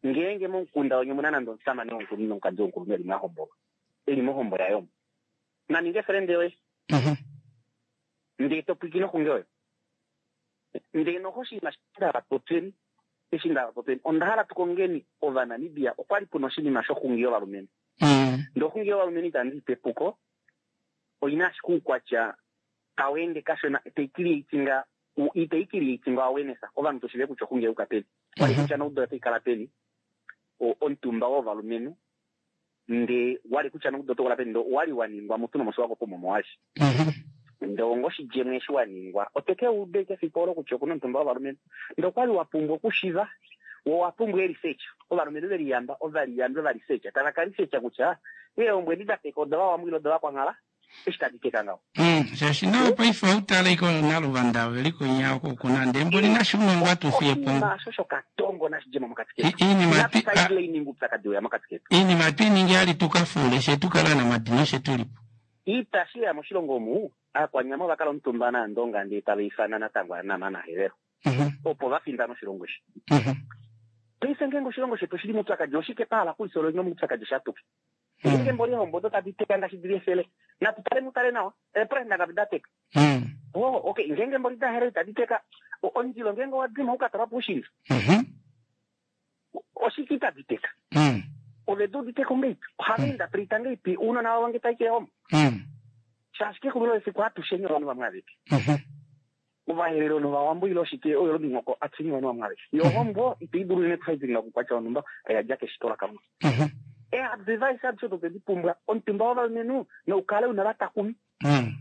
ngeenge momukunda wenye muna nande omusamane womukulunhu nomukadi womukulunhu eli mwahombolwa eli mohombo yayo naninge frende yoye ndee topwikine oxunge oyo ndee noho oshinima shindavapopyeni eshi ndavapopyeni onda hala tukongeni ovanamibia okwali puna oshinima shoxungi yovalumenhu ndee oxungi yovalumenhu itandi ipe epuko oina ashike oukwatya tawende kashona teikiliitinga iteikiliitinga awareness ovanhu toshive kutya oxungi yauka peni wali kutya noudo otaikala peni omutumba wovalumenhu ndee wali kutya noudo otokola peni ndo wali waningwa mutu nomosi wako pomomo washi ndee ongo oshidjemo eshi waningwa oteke ude kefiku olo kutya okuna omutumba wovalumenhu ndee okwali wapumbwa okushiva wo wapumbwa e-research ovalumenhu veliyamba ovaliyambi ovalisearcha tava ka researcha kutya eehombo edi dateka odovawamwile odovakwanhala eshi tadi teka ngaho shaashi nao paife outaleiko naluvanda veliko nya oko kuna ndee mboli nashiunongo atufiyepo oshinima shokatongo nashidjemo mokati ketu iinima upyakadi weya mokati ketu iinima twiiningi ali tukafule shetukala namadino shetulipo ita shiya moshilongo omu aakwanyama ovakala omutumba naandonga ndee tava ifana natango anama naherero opo vafindana oshilongo eshi paife ngeenge oshilongo shetu oshili moupyakadi oshike pahala kulisoloinga moupyakadi shatuke ngeenge mboli eehombo odo tadi teka ngaashi dili efele natu tale mutale nawa eepresida ngapi da teka oh okay ngeenge mboli daherero tadi teka omundilo ngeenge owadima ukatalwa puushinda Omolwashike itadi teka? Mm. Ove di uditeko ngeipi? Ohava interpreta ngeipi ounona vavo nge tai kehombo? Mm. Shaashi kexulilo lefiku atusheni ovanhu vamwe aveke. Mhm. Ovaherero novawambo ile oshike oyo lomihoko atusheni ovanhu vamwe aveke. Yo ohombo itoi dulu unene kuhaidilila okukwatya wonhumba oya dja keshito laKalunga. Mhm. Eadvice adishe odo twedi pumbwa omutumba wovalumenhu noukale una vatakumi. Mm.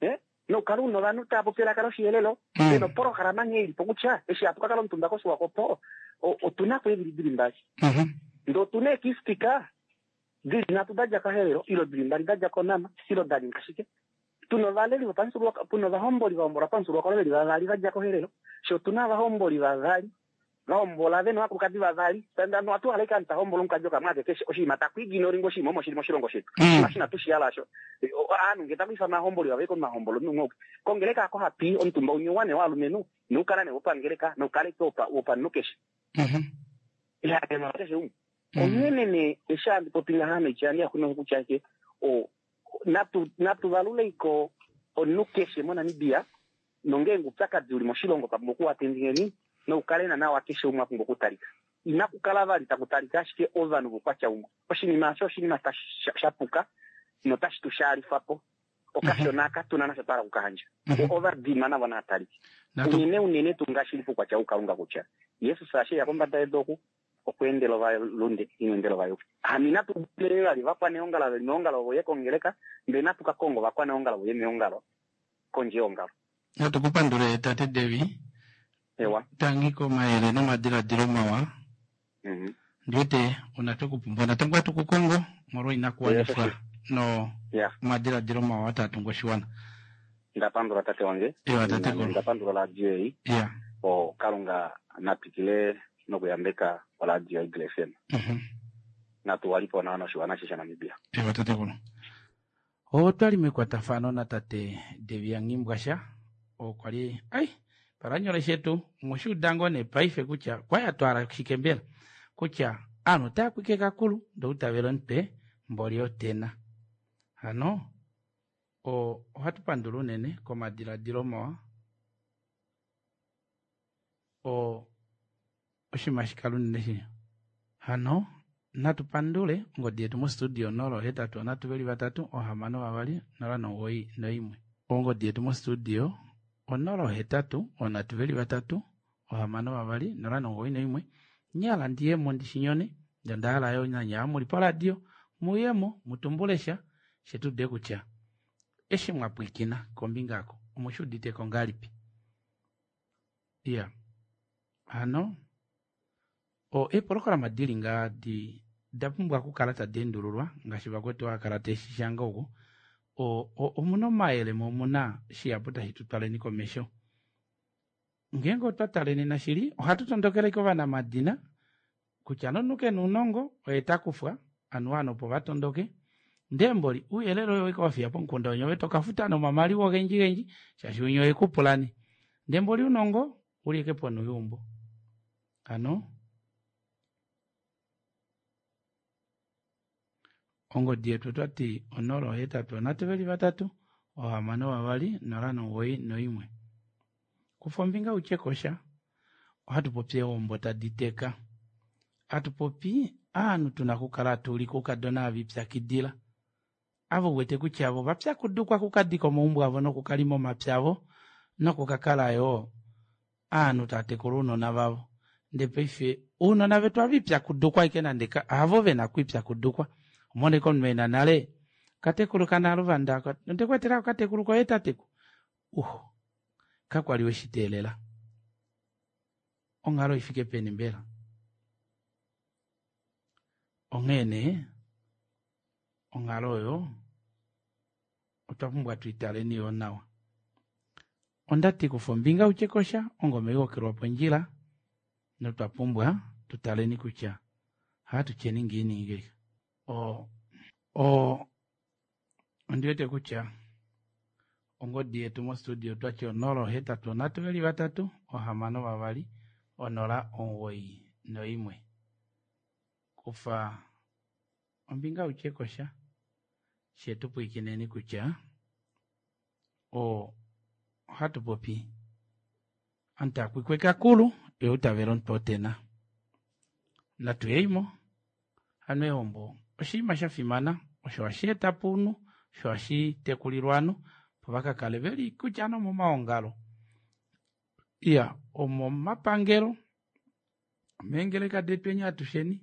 Eh? Noukale una ovanhu tava popi elaka loshihelelo. Mm. Pena opolohalama nghee ilipo kutya eshi hatu kakala omutumba kOshiwakopo o- otuna ko eevili dili mbali. Mhm. Ndee otuna eekistika dili nhatu da dja kaHerero ile dili mbali da dja kOnama ile da ninga shike. Tuna ovaleli vopamufyuululwakalo, puna ovahomboli va hombolwa pamufyuululwakalo veli vavali va dja koHerero, fye otuna ovahomboli vavali va hombola vena ovakulukadi vavali. Hano ohatu hala ashike ovanhu ta hombola omukadi okamwe akeke oshinima taku ignoringa oshinima omo shili moshilongo shetu. Mm. Oshinima shina tushihala asho. Ovanhu ngee taku ifana ovahomboli vavaye komahombolo omunhu umwe kongeleka ako hapi omutumba umwe wane wovalumenhu noukala nee wopangeleka noukale ashike wopanhu keshe. Mhm. Ihakema keshe umwe. Onghene nee eshi handi popi ngaha noitya yange yaxuno kutya ashike o natu natu valuleiko omunhu keshe moNamibia nongeenge oupyakadi uli moshilongo twa pumbwa okuwatendingeni noukale nawa keshe umwe a pumbwa okutalika. Inaku kala vali taku talika ashike ovanhu voukwatya umwe. Oshinima osho oshinima shapuka notashi tu shaalifa po. Okashona aka tuna nasho twa hala okukayandja. Ovadima navo nava talike. Unene unene tuu ngaashi shili poukwatya woukalunga kutya Jesus eshi eya kombada yedu oku okweendela ovalunde ina endela ovayuki. Hano inatu dile vali ovakwaneongalo veli meongalo voye kongeleka ndele natu ka konga ovakwaneongalo voye meongalo kondje yeongalo. Natu kupandule tate Devi. Ewa. Tangi komayele nomadiladilo mawa. Mhm. Ndiwete una twekupumbwa natango hatu kukongo molwa inakuwanifwa no Yeah. omadiladilo mawa taa tungu oshiwana. Ndapandula tate wange. Ewa tate Kolo. Ndapandula oradio ei. Yeah. O Kalunga natwikile nokuyambeka oradio yaEagle F M. Mhm. Natu walipo nawa noshiwana ashishe shaNamibia. Ewa tate Kolo. Otwali mekwatafano natate Devi yaNghimbwasha okwa li ai palanyole shetu mweshiuda ngoo nee paife kutya kwaya twala shike mbela kutya aanhu otaya kwike kakulu ndee outavela omutwe mboli otena. Hano o ohatu pandula unene komadiladilo mawa o oshinima shikala unene shi hano natu pandule ongodi yetu mostudio nola hetatu nhatu veli vatatu ohamano vavali nola nomugoyi noimwe. Ongodi yetu mostudio onola hetatu onhatu veli vatatu ohamano vavali nola nomugoyi noimwe. Nyala ndiyemo ndishinyone ndee ondahala yoo nanye muli poradio muyemo mutumbule sha shetuude kutya eshi mwapwiikina kombinga aako omushuuditeko ngahelipi. Iya hano o eepolohalama dili ngaa di dapumbwa okukala tadi endululwa ngaashi vakwetu haakala teeshishanga oku o omuna omayele mo omuna shihapu tashi tutwaleni komesho. Ngeenge otwa taleni nashili ohatu tondokele kovanamadina kutya nomunhu kena ounongo oye takufwa anuwa ovanhu opo vatondoke ndee mboli ouyelele oyo oweke wafiya pomukunda winya ove tokafuta nomamaliwa ogendji gendji shaashi winya oyekupulani ndee mboli ounongo uli ashike ponhu yeumbo. Hano ongodi yetu otwati onola ohetatu onhatu veli vatatu ohamano vavali nola nomugoyi noimwe. Kufa ombinga utye kosha ohatu popi eehombo tadi teka. Hatu popi ovanhu tuna okukala hatu ulike oukadona ava ipyakidila. Ava uwete kutya avo ovapyakudukwa okukadika omaumbo avo nokukalima omapya avo nokukakala yoo ovanhu tava tekula ounona vavo. Ndee paife ounona vetu ava ipyakudukwa ashike nande havo vena okwiipyakudukwa. Omona ashike omunhu ena nale katekulu kanaluvanda ondekweetela okatekulu koye tateku. Uho kakwali weshiteelela. Onghalo ifike peni mbela? Onghee nee onghalo oyo otwa pumbwa tuitaleni yoo nawa. Ondati kufa ombinga utye kosha ongome ihokelwa pondjila notwa pumbwa tutaleni kutya ohatu tyeni ngiini ngei. O o ondiwete kutya ongodi yetu mostudio otwati onola ohetatu onhatu veli vatatu ohamano vavali onola omugoyi noimwe. Kufa ombinga utye kosha shetu pwiikineni kutya o ohatu popi omutakwikwekakulu ye outavela omutwe otena. Natu yeimo hano eehombo oshinima shafimana osho hashi etapo ounhu osho hashi tekulilwa ovanhu opo vakakale veli kutya nee omomaongalo iya omomapangelo omeengeleka detu enya atusheni.